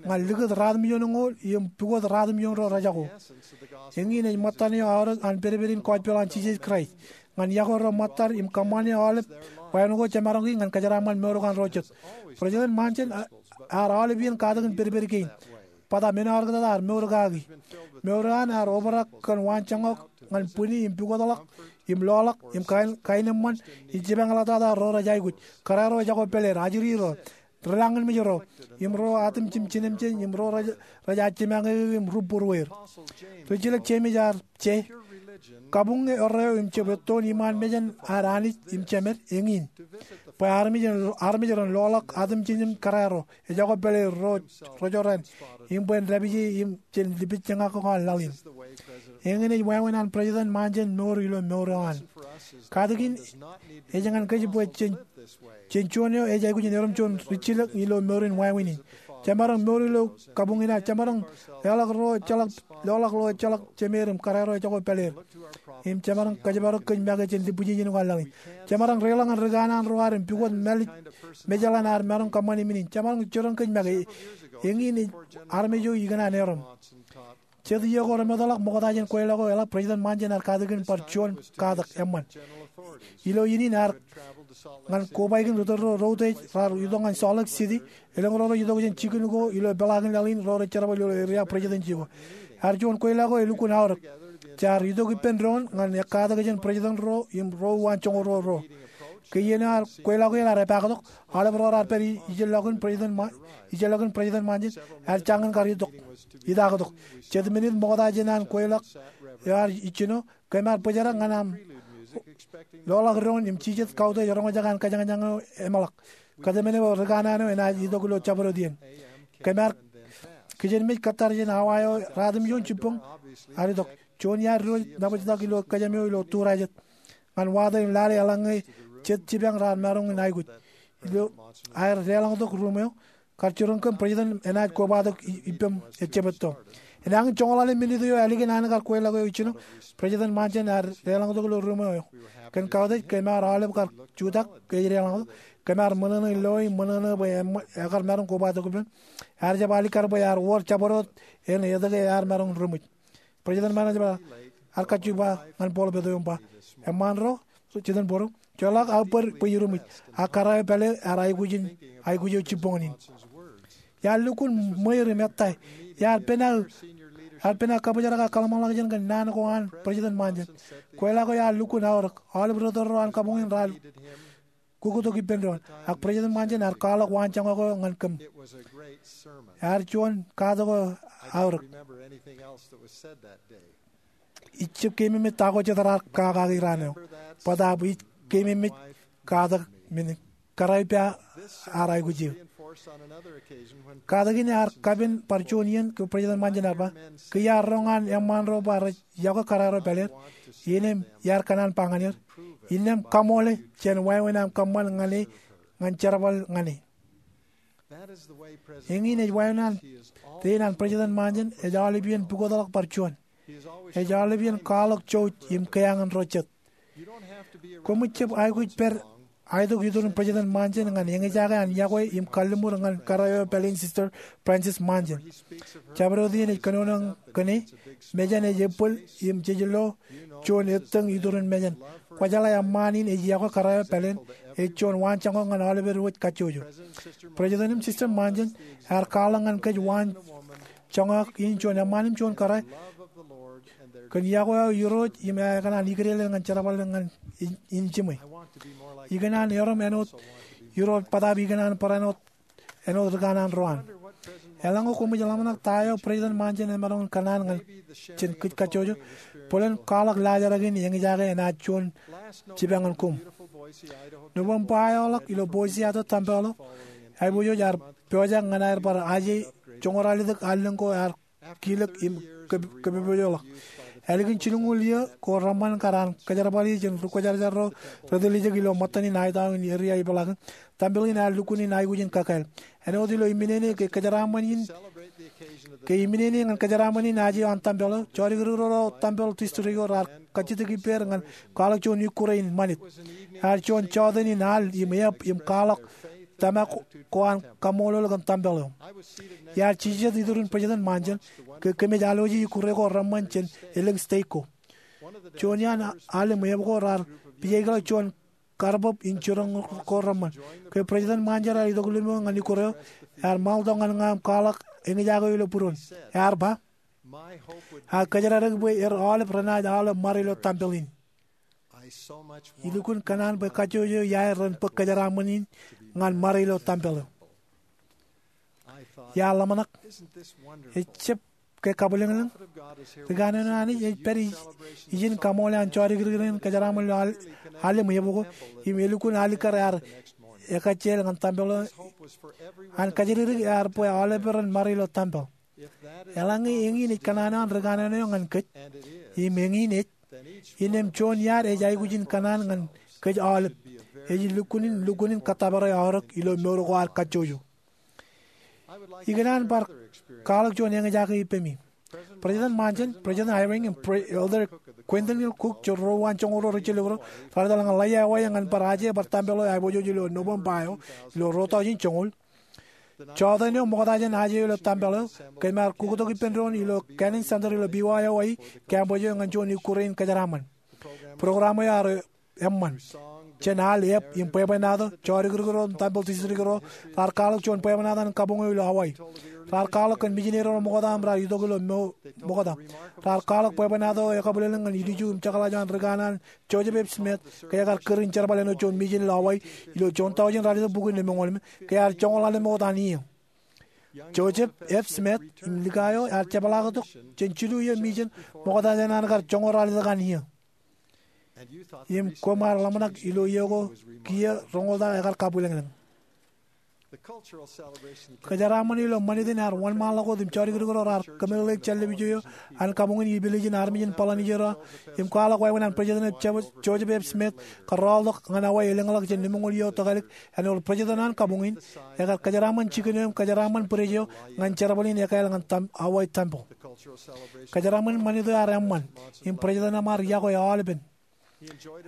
ñan likūt ratimjuonñoul im pukot ratimjuon ro rejako. Eñin ej ṃōttan eo aorōk an pedped in gospel an Jisōs Kraist ñan yokwe ro ṃōttar im kōṃṃane aolep wāween ko jemaroñki ñan kōjeraaṃṃan mour ko an ro jet. President Monson ear aolep iien katak in pedped kein. Bōtab men eo ear kōtata ear mour kaki. Mour eo an ear obrak kōn waanjoñak ñan bwini im pukotḷọk im loḷọk im kain, kain eṃṃan im jipañḷọktata ro rej aikuj, kōrā ro ejako pāleer, ajri ro, ri lañinmej ro, im ro atimjim jinōmjej im ro rej, rej jipañ eō im rup būrueir. Rijilōk Jemes ear je, kabuñe erreo im jab ettoon iṃaan mejān ad Anij im Jemed eñin, bwe armej, armej ren loḷọk atimjinjin kōrā ro ejako pāleer, ro, ro jorrāān, im bwe en dāpije im jān lipejjeñak ko an laḷ in. Eñin ej wāween an President Monson mour ilo mour eo an. Katak in ej ñan kōj bwe jān, jān juon eo ej aikuj in erom juon rijilōk ilo mour in wāween in. Jemaroñ mour ilo kabuñ in ad, jemaroñ loḷọk ro ejjeḷọk, loḷọk ro ejjeḷọk jemeer im kōrā ro ejako pāleer. Im jemaroñ kōjparok kōj make jān lipwij ijin ko an laḷ in. Jemaroñ reiḷọk ñan rikanaan ro ad im pukot mālij Mejeḷan ear maroñ kōṃṃani men in. Jemaroñ jiroñ kōj make. Eñin ej armej eo ikōṇaan erom. Jet iiō ko remootḷọk ṃokta jān kweilọk eo eḷap, President Monson ear katakin bar juon katak eṃṃan. Ilo iien in ear ñan kobaik in ri tōl ro rej utiej raar itok ñan Salt Lake City. Elōñ ro rej itok jān jikin ko ilo peḷaakin laḷ in, ro rej jerbal ilo area presidency ko. Ear juon kweilọk eo elukkuun aorōk. Jaar itok ippān doon ñan ekkatak jān president ro im ro uwaan joñoul ruo ro. Ke iien eo kweilọk eo ear epaaktok, aolep ro raar pād ijellọkin President Mo-, ijellọkin President Monson, ear jañin kar itok, itaaktok. Jet minit ṃokta jān an kweilọk eo ear ijjino, kōm ar bōjrak ñan aṃ loḷọk doon im jijet kautiej roñjake an kajañjañ eo emeḷọk. Kōtmāne bwe rikanaan eo enaaj itok ilo jabdewōt iien. Kōm ar kijenmej kōttar jān awa eo ratimjuon jibboñ ear itok. Juon iaad diwōj nabōjtak ilo kōjām eo ilo turajet ñan wato im lale eḷaññe jet jipañ raar maroñ in aikuj. Ilo aer deḷọñtok ruum eo, kar jiroñ kōm, President enaaj kobatok i-, ippem ejjab etto. Enañin joñoul ḷalem minit eo ālikin an kar kweilọk eo ijjino, President Monson ear deḷọñtok ilo ruum eo. Kōn kautiej kōm ar aolep kar jutak ke ej deḷọñtok. Kōm ar ṃōṇōṇō loe im ṃōṇōṇō bwe eṃ-, ekar maroñ kobatok ippem. Ear jab alikkar bwe ear wor jabdewōt en etke ear maroñ in ruṃwij. President Monson ej ba, ear kajju ba ñan buḷōpet eo im ba, eṃṃaan ro, jitōnbōro, joḷọk aō bōd bwe iruṃwij. Ak kōrā eo pāleer ear aikuj in, aikuj eo jibboñōn in. Iar lukkuun ṃweier im ettā. Iar pen aō, iar pen aō kabōjrak ak kōḷmānḷọkjeṇ kōn naan ko an President Monson. Kweilọk eo ear lukkuun aorōk. Aolep ri tōl ro an kabuñ in raar kukkutok ippān doon. Ak President Monson ear kwaḷọk waanjoñak eo ñan kōm. Ear juon katak eo aorōk. Ij jab keememej ta ko jet raar kakaki raan eo. Bōtaab ij keememej katak men in, kōrā eo pā ear aikuj eō. Katak in ear kapen bar juon iien ke President Monson ear ba, ke iar roñ an eṃṃaan ro ba rej yokwe kōrā ro pāleer, innām iar kōṇaan ba ñan er, innām kaṃoole jān wāween aṃ kōṃṃan ñan e ñan jerbal ñan e. Eñin ej wāween an, rein an President Monson ej aolep iien pukotḷọk bar juon. Ej aolep iien kwaḷọk jouj im kea ñan ro jet. Koṃij jab aikuj pād aitok iturin President Monson ñan eñjake an iọkwe im kalliṃur ñan kōrā eo pāleen Sister Frances Monson. Jabdewōt in ej kōnono kōn e, mejān ej ebbōl im jej lo juon ettōñ iturin mejān. Kwōjeḷā eṃṃaan in ej iọkwe kōrā eo pāleen, ej juon waanjoñak ñan aolepād wōj kajjojo. President im Sister Monson ear kwaḷọk ñan kōj waanjoñak in juon eṃṃaan im juon kōrā kōn iọkwe eo Irooj im aō kōṇaan ikdeḷọñ ñan jerbal ñan in jiṃwe. Ikōṇaan erom āinwōt Irooj bōtaab ikōṇaan barāinwōt āinwōt ri kanaan ro an. Eḷaññe koṃij ḷōmṇak ta eo President Monson emaroñ in kōṇaan ñan jān kōj kajjojo, bōlen kwaḷọk laajrak in eñjake enaaj juon jipañ ñan koṃ. Nobōṃba eo ḷọk ilo Boise, Idaho tempeḷ eo, aiboojoj ear pojak ñan aer bar aje joñoul ralitōk allōñ ko ear kilōk im kōpoojoḷọk. Ālikin jilñuul iiō ko reṃṃan kar an kōjerbali jān ri kwōjarjar ro retiljek ilo ṃōttan in aetao in eria ipeḷaakin, tempeḷ in ear lukkuun in aikuj in kakāāl. Āinwōt ilo iminene ke kōjeraaṃṃan in, ke iminene ñan kōjeraaṃṃan in aje eo an tempeḷ eo, jọdikdik ro tempeḷ district eo raar kajjitōk ippāer ñan kwaḷọk juon ikkure in ṃanit. Ear juon jọteen in al im eab im kwaḷọk tōmak ko an kaṃṃoolol kōn tempeḷ eo. Iar jijet iturin President Monson ke kōmij aloje ikkure ko reṃṃan jān elōñ state ko. Juon iaan al im eab ko raar pijaikḷọk juon karbōb in jiroñ ko reṃṃan. Ke President Monson ear itok limo ñan ikkure eo, ear ṃaḷtok ñan ña im kwaḷọk eñjake eo ilo būruon. Ear ba, "Ak kōjeradik bwe er aolep renaaj aolep ṃare ilo tempeḷ in. Ilukkuun kōṇaan bwe kajjojo iaer ren bōk kōjeraaṃṃan in ñan ṃare ilo tempeḷ eo." Iar ḷōmṇak, ejjab ke kabwilōñlōñ? Ri kanaan eo Anij ej pād ijin kaṃool an jọdikdik in kōjeraaṃṃan ilo al, al im eab ko, im elukkuun alikkar ear ekajjeḷọk ñan tempeḷ eo an kajjitōk ear bwe aolep ren ṃare ilo tempeḷ. Eḷaññe eñin ej kōṇaan eo an ri kanaan eo ñan kōj, im eñin ej, innām juon iaad ej aikuj in kōṇaan ñan kōj aolep. Ej lukkuun in, lukkuun in kōttōpare aorōk ilo mour ko ad kajjojo. Ikōṇaan bar kwaḷọk juon eñjake ippemi. President Monson, President Eyring, im Pre-, Elder Quentin L. Cook, ro wōn joñoul ro rijjelōk ro, raar etal ñan Laiya, Hawaii ñan bar aje bar tempeḷ eo aiboojoj ilo Nobōṃba eo, ilo ruo tọujin joñoul. Jọteen eo ṃokta jān aje eo ilo tempeḷ eo, kōm ar kuktok ippān doon ilo Cannon Center ilo Beaver, Hawaii, campus eo ñan juon ikkure in kōjeraaṃṃan. Program eo ear eṃṃan. Jān al, eab, im bwebwenato, jọdikdik ro im tempeḷ district ro raar kwaḷọk juon bwebwenato an kabuñ eo ilo Hawaii. Raar kwaḷọk kōn mijineri ro ṃokta im raar itok ilo mo-, ṃokta. Raar kwaḷọk bwebwenato eo ekabwilōñlōñ ñan ilju im jekḷaj eo an ri kanaan Joseph F. Smith, ke ekar kūr in jerbal āinwōt juon mijin ilo Hawaii ilo juon tọujin ralitōk bukwi lemñoul lemñoul, ke ear joñoul ḷalem wōt an iiō. Joseph F. Smith im lika eo ear jepḷaaktok jān jilu iiō mijin ṃokta jān an kar joñoul ralitōk an iiō. Im koṃ ar ḷōmṇak ilo iiō ko kiiō roñoul ta ekar kabwilōñlōñ. Kōjeraaṃṃan ilo ṃanit in ear wōnṃaanḷọk wōt im jọdikdik ro raar kōmeḷeḷeik jān lōb ijo eo an kabuñ in ippān ijin armej in Polynesia ro im kwaḷọk wāween an President Joseph F. Smith kōrọọltok ñan Hawaii elōñḷọk jān lemñoul iiō tōkālik āinwōt President an kabuñ in, ekar kōjeraaṃṃan jikin eo im kōjeraaṃṃan bwidej eo ñan jerbal in ekāāl ñan tem-, Hawaii tempeḷ. Kōjeraaṃṃan ṃanit eo ear eṃṃan im President eṃṃan iọkwe aolepen.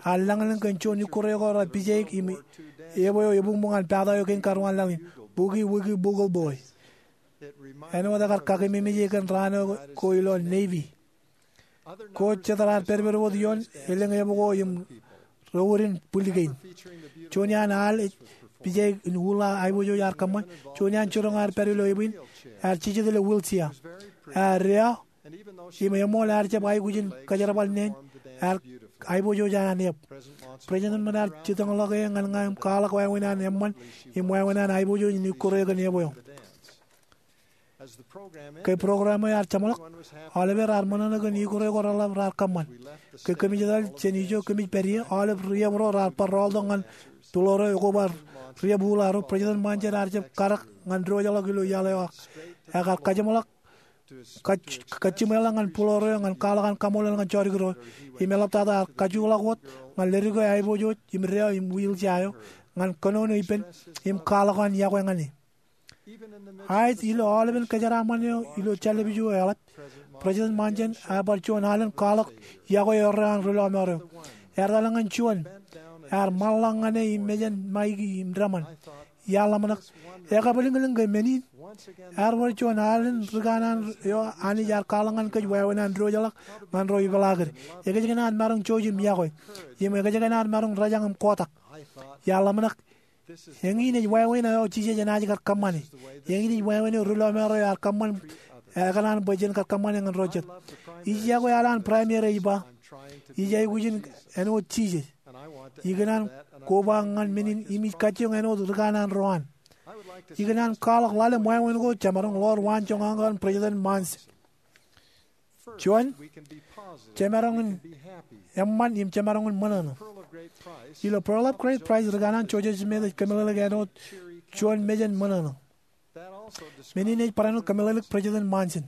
Ear lañlōñ kōn juon ikkure ko raar pijaik im epo eo ebuñbuñ an pata eo kein karuwaan laḷ in, Boogie Woogie Boogle Boy. Āinwōt ekar kakememej e kōn raan eo ko ilo Navy. Ko jet raar pedped wōt ioon elōñ epo ko im rewūrin bwil kein. Juon iaan al ej pijaik in uḷa aiboojoj ear kōṃṃan. Juon iaan jiroñ ear pād ilo epiin, ear jijet ilo wheelchair. Ear deo im eṃool ear jab aikuj in kōjerbal neen, ear aiboojoj an eab. President eṃṃan ear jitōñḷọk e ñan ña im kwaḷọk wāween an eṃṃan im wāween an aiboojoj in ikkure kōn epo eo. Ke program eo ear jeṃḷọk, aolepen raar ṃōṇōṇō kōn ikkure ko reḷap raar kōṃṃan. Ke kōmij etal jān ijo kōmij pād ie, aolep ri-epo ro raar bar rọọltok ñan būḷoor eo ekobar ri-epo uḷa ro. President Monson ear jab kadek ñan diwōjḷọk ilo iaḷ eo ak ekar kajeṃḷọk kaj-, kajjiṃweḷọk ñan būḷoor eo ñan kwaḷọk an kaṃṃoolol ñan jọdikdik ro. Im eḷaptata ear kajookḷọk wōt ñan ledik eo aiboojoj im deo im wheelchair eo ñan kōnono ippān im kwaḷọk an iọkwe ñan e. Aet ilo aolepen kōjeraaṃṃan eo ilo jān lōb ijo eo eḷap, President Monson ear bar juon alen kwaḷọk iọkwe erreo an ri lọmọọr eo. Ear etal ñan juon Ear ṃaḷḷọk ñan e im mejān Maiki im Dāṃan. Iar ḷōmṇak, ekabwilōñlōñ ke men in? Ear wōr juon alen ri kanaan eo Anij ear kwaḷọk ñan kōj wāween an diwōjḷọk ñan ro ipeḷaakid. Ekōjkan ad maroñ jouj im yokwe, im ekōjkan ad maroñ rōjañ im kotak. Iar ḷōmṇak, eñin ej wāween eo Jisōs enaaj kar kōṃṃane. Eñin ej wāween eo ri lọmọọr eo ear kōṃṃan, ekōṇaan bwe jen kar kōṃṃane ñan ro jet. Ij yokwe alen Primary ej ba, ij aikuj in āinwōt Jisōs. Ikōṇaan koba ñan men in im ij kajjioñ āinwōt ri kanaan ro an. Ikōṇaan kwaḷọk ḷalem wāween ko jemaroñ ḷoor waanjoñak ko an President Monson. Juon, jemaroñ in eṃṃan im jemaroñ in ṃōṇōṇō. Ilo Pearl of Great Price, ri kanaan Joseph Smith ej kōmeḷeḷeik āinwōt juon mejān ṃōṇōṇō. Men in ej barāinwōt kōmeḷeḷeik President Monson.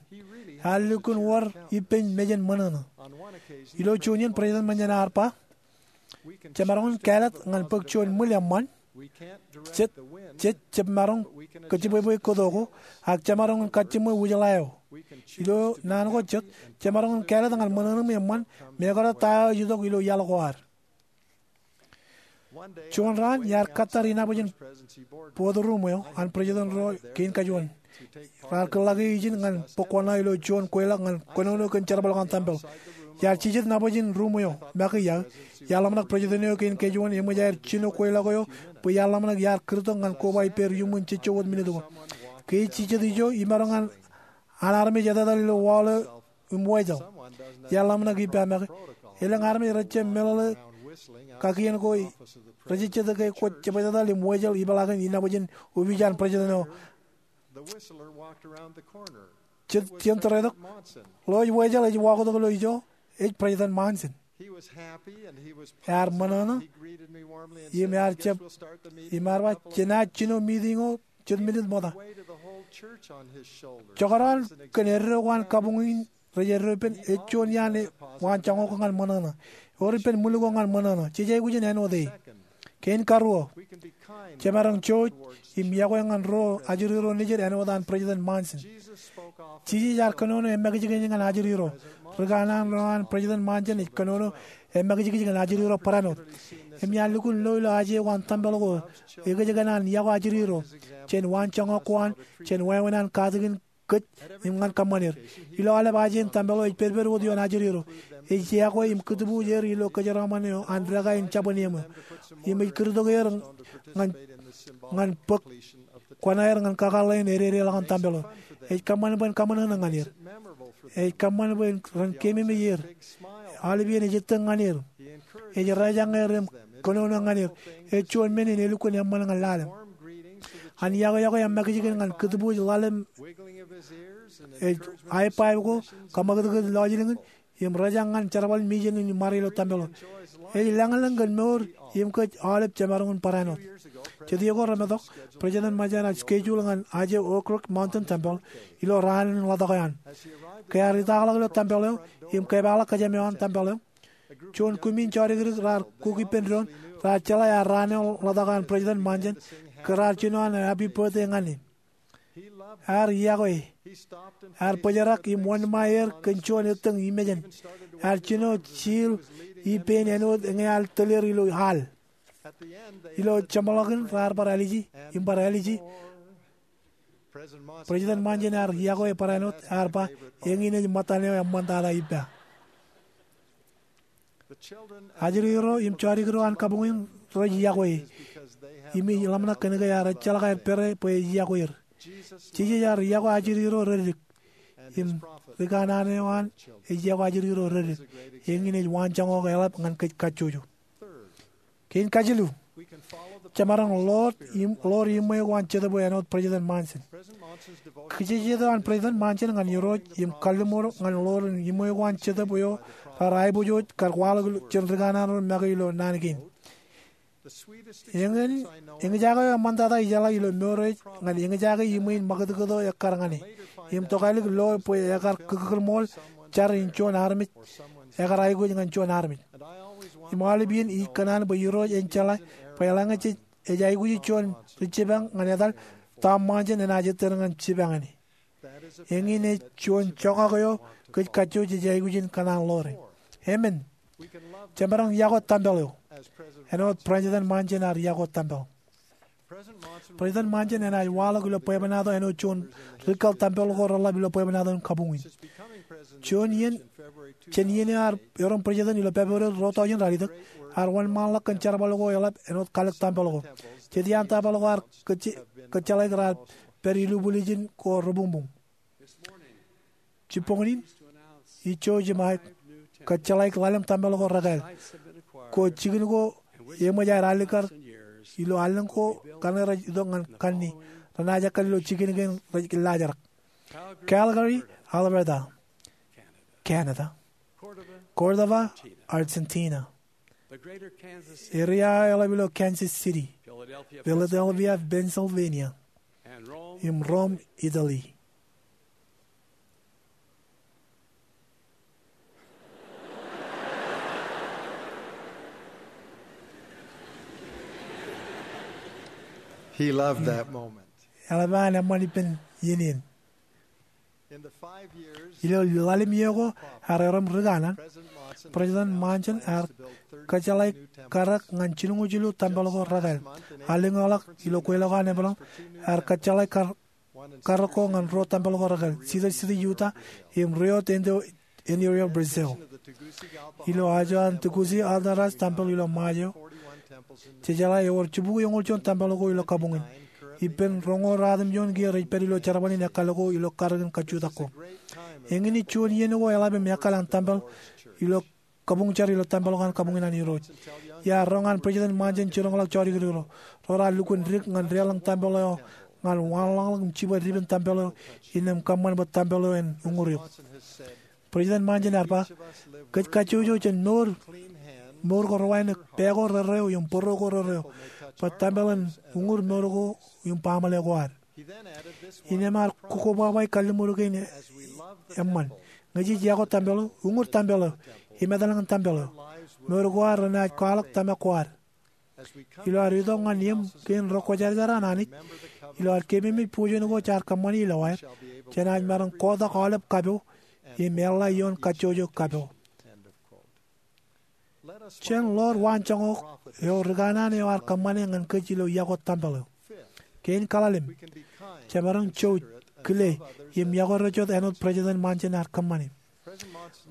Ear lukkuun wōr ippān mejān ṃōṇōṇō. Ilo juon iien President Monson ear ba, jemaroñ in kāālōt ñan bōk juon ṃwil eṃṃan. Jej, jej jab maroñ kōjjipwepwe kōto ko, ak jemaroñ in kajjiṃwe wūjḷā eo. Ilo naan ko jet, jemaroñ in kāālōt ñan ṃōṇōṇō im eṃṃan, mekarōt ta eo ej itok ilo iaḷ ko ad. Juon raan, iar kōttar inabōjin board room eo an President ro kein kajuon. Raar kōḷḷāki ijin ñan bōk kuṇaō ilo juon kweilọk ñan kōnono kōn jerbal ko an tempel. Iar jijet nabōjin room eo make iaō. Iar ḷōmṇak President eo kein kajuon eṃōj aer jino kweilọk eo bwe iar ḷōmṇak iar kūrtok ñan koba ippāer iuṃwin jejjo wōt minit ko. Ke ej jijet ijo, imaroñ an armej etetal ilo wall eo im wejel. Iar ḷōmṇak ippa make, elōñ armej rej jab meḷeḷe kakien ko, rej jejjet ke kwōj jab etetal im wejel ipeḷaakin inabōjin opiij an President eo. Jet jien tōretok, ḷeo ej wejel ej wakotok ilo ijo, ej President Monson. Ear ṃōṇōṇō im ear jab, im ear ba, jenaaj jino meeting eo jet minit ṃokta. Jekdọọn kōn eddo ko an kabuñ in rej eddo ippān, ej juon iaan waanjoñak ko ñan ṃōṇōṇō. Ewōr ippān ṃwil ko ñan ṃōṇōṇō. Jej aikuj in āinwōt e. Kein karuo, jemaroñ jouj im yokwe ñan ro ajri ro nejid āinwōt an President Monson. Jisōs ear kōnono emakijkij ñan ajri ro. Ri kanaan ro an President Monson ej kōnono emakijkij ñan ajri ro barāinwōt. Im iar lukkuun lo ilo aje ko an tempel ko, ekōjkan an yokwe ajri ro jān waanjoñak ko an, jān wāween an katakin kōj im ñan kōṃṃan er. Ilo aolep aje in tempel eo ej pedped wōt ioon ajri ro. Ej yokwe im kūtbuuj er ilo kōjeraṃṃan eo an deka in jabōn eṃ eo. Im ej kūrtok er ñan, ñan bōk kuṇaer ñan kakōḷḷe in ededeḷọk an tempel eo. Ej kōṃṃan bwe en kaṃōṇōṇō ñan er. Ej kōṃṃan bwe ren keememej er. Aolep iien ej ettōñ ñan er. Ej rōjañ er im kōnono ñan er. Ej juon men in elukkuun eṃṃan ñan lale. An yokwe yokwe emakijkij ñan kūtbuuj ḷalem ej high five ko, kaṃakūtkūt lọjilñin, im rōjañ ñan jerbal mission in ṃare ilo tempel eo. Ej lōñlōñ kōn mour im kōj aolep jemaroñ in barāinwōt. Jet iiō ko remetok, President Monson ear schedule ñan aje Oak Ridge Mountain Temple ilo raan in ḷotak eo an. Ke ear itakḷọk ilo tempel eo im kepaakḷọk kōjām eo an tempel eo, juon kumi in jodikdik raar kuk ippān doon, raar jeḷā ear raan eo ḷotak eo an President Monson, ke raar jino an happy birthday ñan e. Ear yokwe e. Ear bōjrak im wōnṃae er kōn juon ettōñ imejān. Ear jino jiil ippān āinwōt ñe ear tōl er ilo al. Ilo jeṃḷọkin raar bar āliji im bar āliji. President Monson ear yokwe barāinwōt, ear ba, eñin ej ṃōttan eo eṃṃantata ippa. Ajri ro im jodikdik ro an kabuñ in rej yokwe e. Im ij ḷōmṇak kōn ke ear ejjeḷọk aer pere bwe ej yokwe er. Jisōs ear yokwe ajri ro reddik. Im ri kanaan eo an ej yokwe ajri ro reddik. Eñin ej waanjoñak ko eḷap ñan kōj kajjojo. Kein kajilu, jemaroñ ḷoor im, ḷoor iṃwe ko an Jetōb eo āinwōt President Monson. Kijejet eo an President Monson ñan Irooj im kalliṃur ñan ḷoor iṃwe ko an Jetōb eo raar aiboojoj kar kwaḷọk jān ri kanaan ro make ilo naan kein. Eñin, eñjake eo eṃṃantata ijeḷā ilo mour eo ej ñan eñjake iṃwe in ṃakūtkūt eo ekkar ñan e. Im tokālik lo bwe ekar kōkūrṃool jar in juon armej, ekar aikuj ñan juon armej. Im aolep iien ij kōṇaan bwe Irooj en jeḷā bwe eḷaññe jej, ej aikuji juon ri jipañ ñan etal, Tom Monson enaaj ettōr ñan jipañ in. Eñin ej juon joñak eo kōj kajjojo jej aikuj in kōṇaan ḷoore. Emān. Jemaroñ yokwe tempel eo āinwōt President Monson ear yokwe tempel. President Monson enaaj waḷọk ilo bwebwenato āinwōt juon ri-kōḷ tempel ko reḷḷap ilo bwebwenato in kabuñ in. Juon iien, jān iien eo ear erom president ilo February ruo tọujin ralitōk, ear wōnṃaanḷọk kōn jerbal ko eḷap āinwōt kalōk tempel ko. Jet iaan tempel ko ear kōjjeḷāik raar pād ilubwilijin ko rebuñbuñ. Jibboñin in, ij jouj im aō kōjjeḷāik ḷalem tempel ko rekāāl. Ko jikin ko eṃōj aer alikkar ilo allōñ ko kaṇe rej itok ñan kanniō, renaaj ekkar ilo jikin kein rej laajrak. Calgary, Alberta, Canada. Córdoba, Argentina. Area eo eḷap ilo Kansas City, Philadelphia, Pennsylvania, im Rome, Italy. He loved that moment. Eḷap an eṃṃan ippān iien in. Ilo ḷalem iiō ko ear erom ri kanaan, President Monson ear kōjjeḷāik karōk ñan jilñuul jilu tempel ko rekāāl. Allōñḷọk ilo kweilọk an Epeḷaam, ear kōjjeḷāik kar-, karōk ko ñan ruo tempel ko rekāāl, Cedar City, Utah, im Rio Tinto, Interior Brazil. Ilo ajo an Tegucigalpa Altaras tempel ilo Ṃajeḷ, jejeḷā ewōr jibukwi eñoul juon tempel ko ilo kabuñ in. Ippān roñoul ratimjuon kiiō rej pād ilo jerbal in ekkal ko ilo karōk in kajjutak ko. Eñin ej juon iien ko eḷap im ekkal an tempel ilo kabuñ jar ilo tempel ko an kabuñ in an Irooj. Iar roñ an President Monson jiroñḷọk jodikdik ro. Ro raar lukkuun dik ñan deḷọñ tempel eo ñan waanḷọkḷọk im jibwe dipen tempel eo innām kōṃṃan bwe tempel eo en uññūr eok. President Monson ear ba, kōj kajjojo jān mour, mour ko rewānōk, pā ko rerreo im bōro ko rerreo, bwe tempel en uññūr mour ko im baaṃle ko ad. Innām ear kōbwabwae kalliṃur kein eṃṃan. Ñe jej yokwe tempel eo, uññūr tempel eo, im etal ñan tempel eo, mour ko ad renaaj kwaḷọk tōmak ko ad. Ilo ad itok ñan eṃ kein ro kwōjarjar an Anij, ilo ad keememej bujen ko jaar kōṃṃani ilowaaer, jenaaj maroñ kotak aolep kapo im eḷḷā ioon kajjojo kapo. Jen ḷoor waanjoñak eo ri kanaan eo ear kōṃṃane ñan kōj ilo yokwe tempel eo. Kein kaḷalem, jemaroñ jouj, kile, im yokwe ro jet āinwōt President Monson ear kōṃṃane.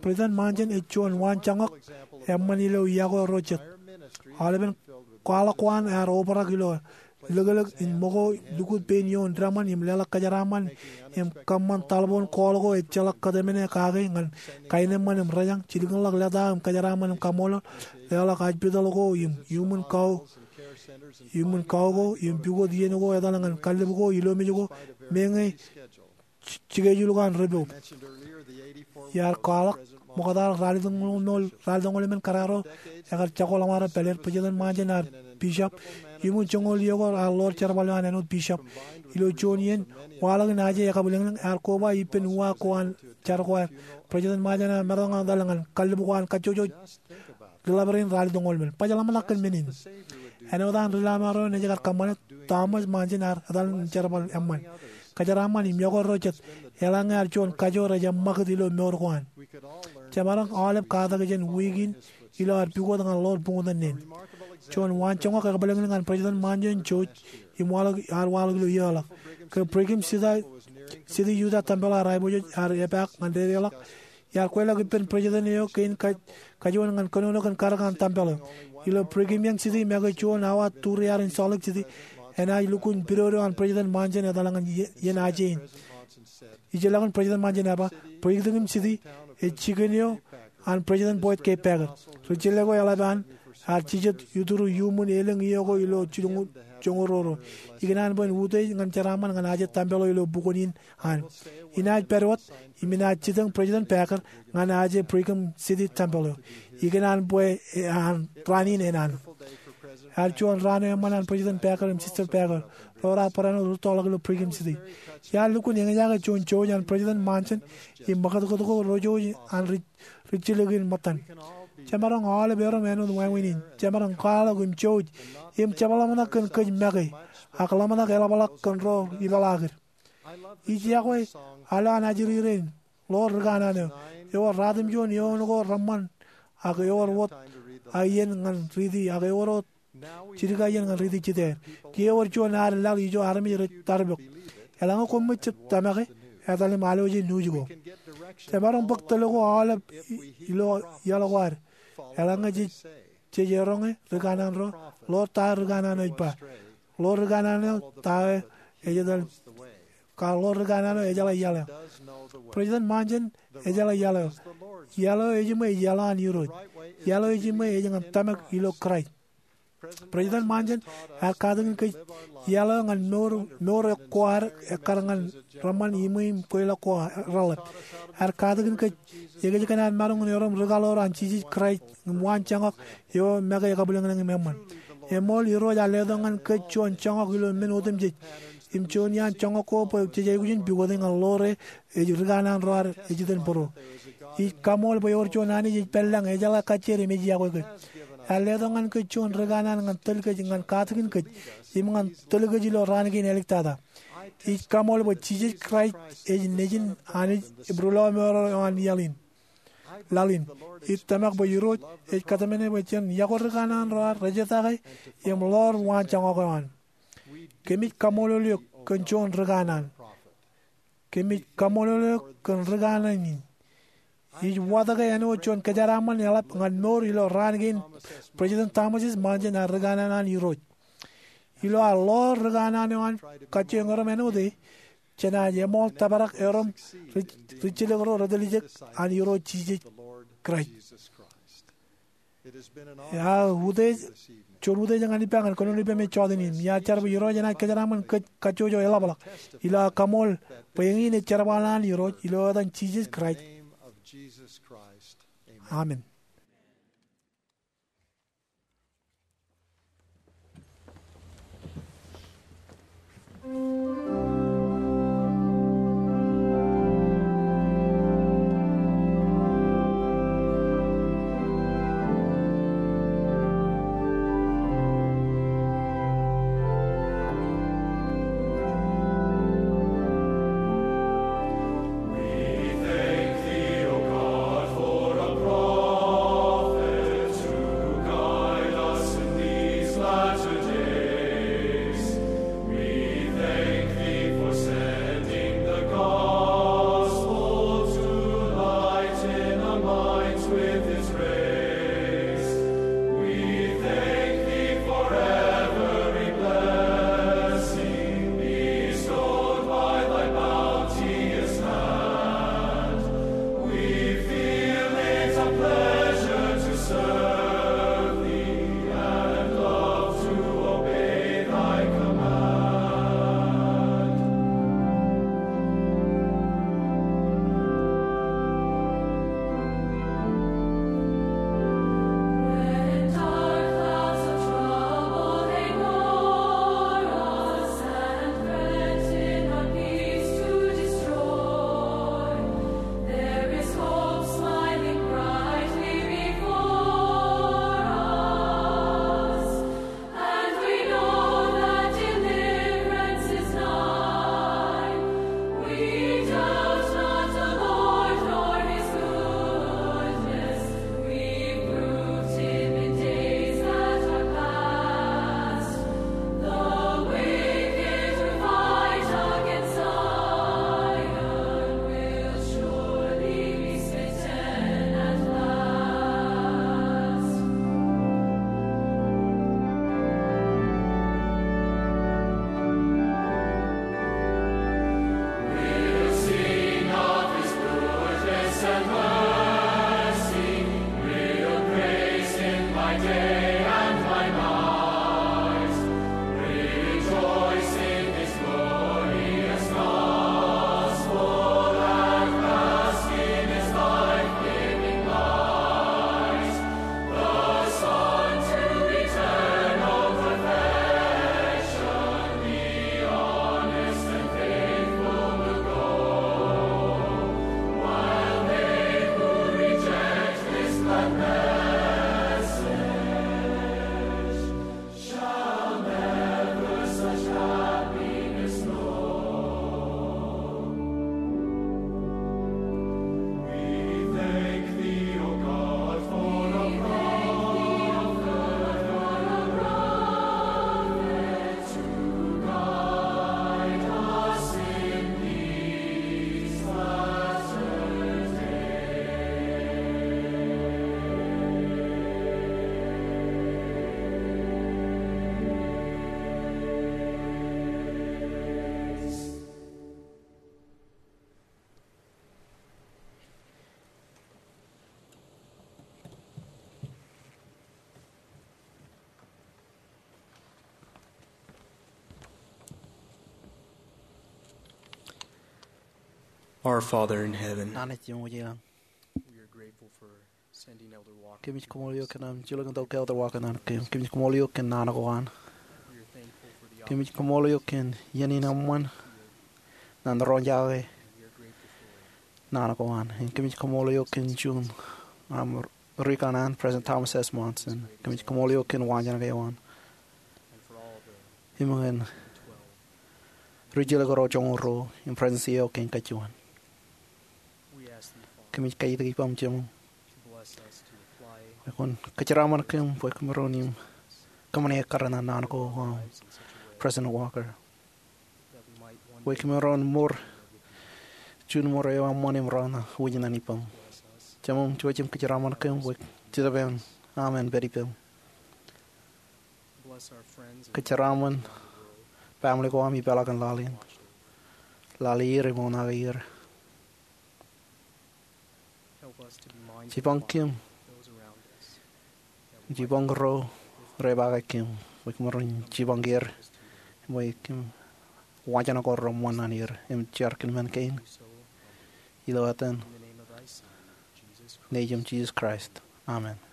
President Monson ej juon waanjoñak eṃṃan ilo yokwe ro jet. Aolepen kwaḷọk ko an ear obrak ilo liklik in ṃōko, lukkuun pein ioon deṃōn im leḷọk kōjeraaṃṃan im kōṃṃan taḷboon call ko ejjeḷọk kōtemene kake ñan kaenōṃṃan im rejañ, jilkinḷọk leta im kōjeraaṃṃan im kaṃṃoolol, leḷọk hospital ko im iuṃwin kau, iuṃwin kau ko im pukot iien ko etal ñan kallib ko, ilomej ko, meñe schedule ko an report. Iar kwaḷọk ṃokta ralitōñoul, ralitōñoul emān kōrā ro ekar jako ḷōṃaro pāleer. President Monson ear bishop. Iuṃwin joñoul iiō ko ear ḷoor jerbal eo an āinwōt bishop. Ilo juon iien waḷọk in aje ekabwilōñlōñ, ear koba ippān uwaak ko an jar ko aer. President Monson ear maroñ etal ñan kallib ko an kajjojo ri ḷap rein ralitōñoul emān. Baj ḷōmṇak kōn men in. Āinwōt an ri ḷōṃaro naaj kar kōṃṃane, Thomas Monson ear etal ñan jerbal eṃṃan, kōjeraaṃṃan im yokwe ro jet, eḷaññe ear juon kajo rej eṃṃakūt ilo mour ko an. Jemaroñ aolep katak jān wiik in ilo ad pukot ñan ḷoor buñtōn neen. Juon waanjoñak ekabwilōñlōñ an President Monson jouj im waḷọk, ear waḷọk ilo iiō ḷọk. Ke Brigham City, City Utah tempel eo ear aiboojoj ear epaak ñan dedeḷọk, iar kweilọk ippān president eo kein kaj-, kajuon ñan kōnono kōn karōk an tempel eo. Ilo Brigham Young City make juon awa turiar in Salt Lake City, enaaj lukkuun pidodo an President Monson etal ñan ie-, iien aje in. Ijellọkin President Monson ear ba, Brigham City ej jikin eo an President Boyd K. Packer. Ri jele ko eḷap an ear jijet ituru iuṃwin elōñ iiō ko ilo jilñuul joñoul ruo. Ikōṇaan bwe en utiej ñan jeraaṃṃan ñan aje tempel eo ilo bukwōn in an. Inaaj pād wōt im inaaj jitōñ President Packer ñan aje Brigham City tempel eo. Ikōṇaan bwe, e, an raan in enana. Ear juon raan eo eṃṃan an President Packer im Sister Packer. Ro raar barāinwōt rūttoḷọk ilo Brigham City. Iar lukkuun eñjake juon jouj an President Monson im ṃakūtkūt ko ro jouj an ri ri jilkinḷọk ṃōttan. Jemaroñ aolep erom āinwōt wāween in. Jemaroñ kwaḷọk im jouj im jepḷaakḷọk kōn kōj make, ak ḷōmṇak eḷapḷọk kōn ro ipeḷaakid. Ij yokwe al eo an ajri rein, ḷoor ri kanaan eo, ewōr ratimjuon eoon ko reṃṃan ak ewōr wōt iien ñan riiti, ak ewōr wōt jidik iien ñan riiti jitōñ. Kiiō ewōr juon ad laḷ ijo armej rej tarpok. Eḷaññe koṃij jab tōmake, etal im alwōje nuuj ko. Jemaroñ bōk tōl ko aolep ilo iaḷ ko ad. Eḷaññe jej, jej eroñe ri kanaan ro, ḷoor ta ri kanaan eo ej ba. Ḷoor ri kanaan eo ta eo ej etal, ka ḷoor ri kanaan eo ejeḷā iaḷ eo. President Monson ejeḷā iaḷ eo. Iaḷ eo ejiṃwe ej iaḷ an Irooj. Iaḷ eo ejiṃwe ej ñan tōmak ilo Kraist. President Monson ear katakin kōj iaḷ eo ñan mour, mour ko ad ekkar ñan reṃṃan iṃwe im kweilọk ko reḷḷap. Ear katakin kōj ekōjkan ad maroñ in erom rikaḷoor an Jisōs Kraist im waanjoñak eo make ekabwilōñlōñ im eṃṃan. Eṃool Irooj ear letok ñan kōj juon joñak ilo men otemjej. Im juon iaan joñak ko bwe jej aikuj in pukot e ñan ḷoor e ej ri kanaan ro ad ej itōn bōro. Ij kaṃool bwe ewōr juon Anij ej pād lañ, ejeḷā kajjitōk im ej iọkwe kōj. Ear letok ñan kōj juon ri kanaan ñan tōl kōj, ñan katakin kōj, im ñan tōl kōj ilo raan kein āliktata. Ij kaṃool bwe Jisōs Kraist ej Nejin Anij im Ri-lọmọọr eo an laḷ in. Laḷ in. Ij tōmak bwe Irooj ej kōtmāne bwe jen iọkwe ri kanaan ro ad rejetake im ḷoor waanjoñak eo an. Kōmij kaṃṃoolol eok kōn juon ri kanaan. Kōmij kaṃṃoolol eok kōn ri kanaan in. Ij watōke āinwōt juon kōjeraṃṃan eḷap ñan mour ilo raan kein President Thomas S. Monson ear ri kanaan an Irooj. Ilo ad ḷoor ri kanaan eo an kajjioñ erom āinwōt e, jenaaj eṃool tōprak erom ri, ri jilōk ro rej tiljek an Irooj Jisōs Kraist. Ear utiej, juon utiej ñan ippa ñan kōnono ippaṃ ej jọteen in. Im iar jar bwe Irooj enaaj kōjeraṃṃan kōj kajjojo eḷapḷọk. Ilo aō kaṃool bwe eñin ej jerbal an Irooj, ilo etan Jisōs Kraist. Amen. Our Father in heaven, Naan eo ej iọkwe ilañ, we are grateful for sending Elder Walker. Kōmij koṃṃool eok kōn aṃ jilkintok Elder Walker ñan kōm. Kōmij koṃṃool eok kōn naan ko an. We are thankful for the Kōmij koṃṃool eok kōn iien in eṃṃan ñan roñjake naan ko an. Im kōmij koṃṃool eok kōn juon aṃ ri-kōṇaan, President Thomas S. Monson. Kōmij koṃṃool eok kōn waanjoñak eo an im ñan ri-jilkintok ro joñoul ruo im President eo kein kajjojo. Kōmij kaitikitik ippaṃ Jemem bwe kwōn kōjeraṃṃan kōm bwe kōmaroñ im kōṃṃane ekkar ñan naan ko aṃ, President Walker, bwe kōmaroñ mour juon mour eo eṃṃan im ro ṇa wōj ñan ippaṃ. Jemem, jouj im kōjeraṃṃan kōm bwe Jetōb eo aṃ en pād ippaṃ. Kōjeraṃṃan family ko aṃ ipeḷḷọk in laḷ in. Lale er im oṇaake er. Jipañ kōm, jipañ ro repaake kōm, bwe kōmaroñ jipañ er, bwe kōm wajen ko reṃṃan ñan er im jar kōn men kein. Ilo etan Nejiṃ Jisōs Kraist, amen.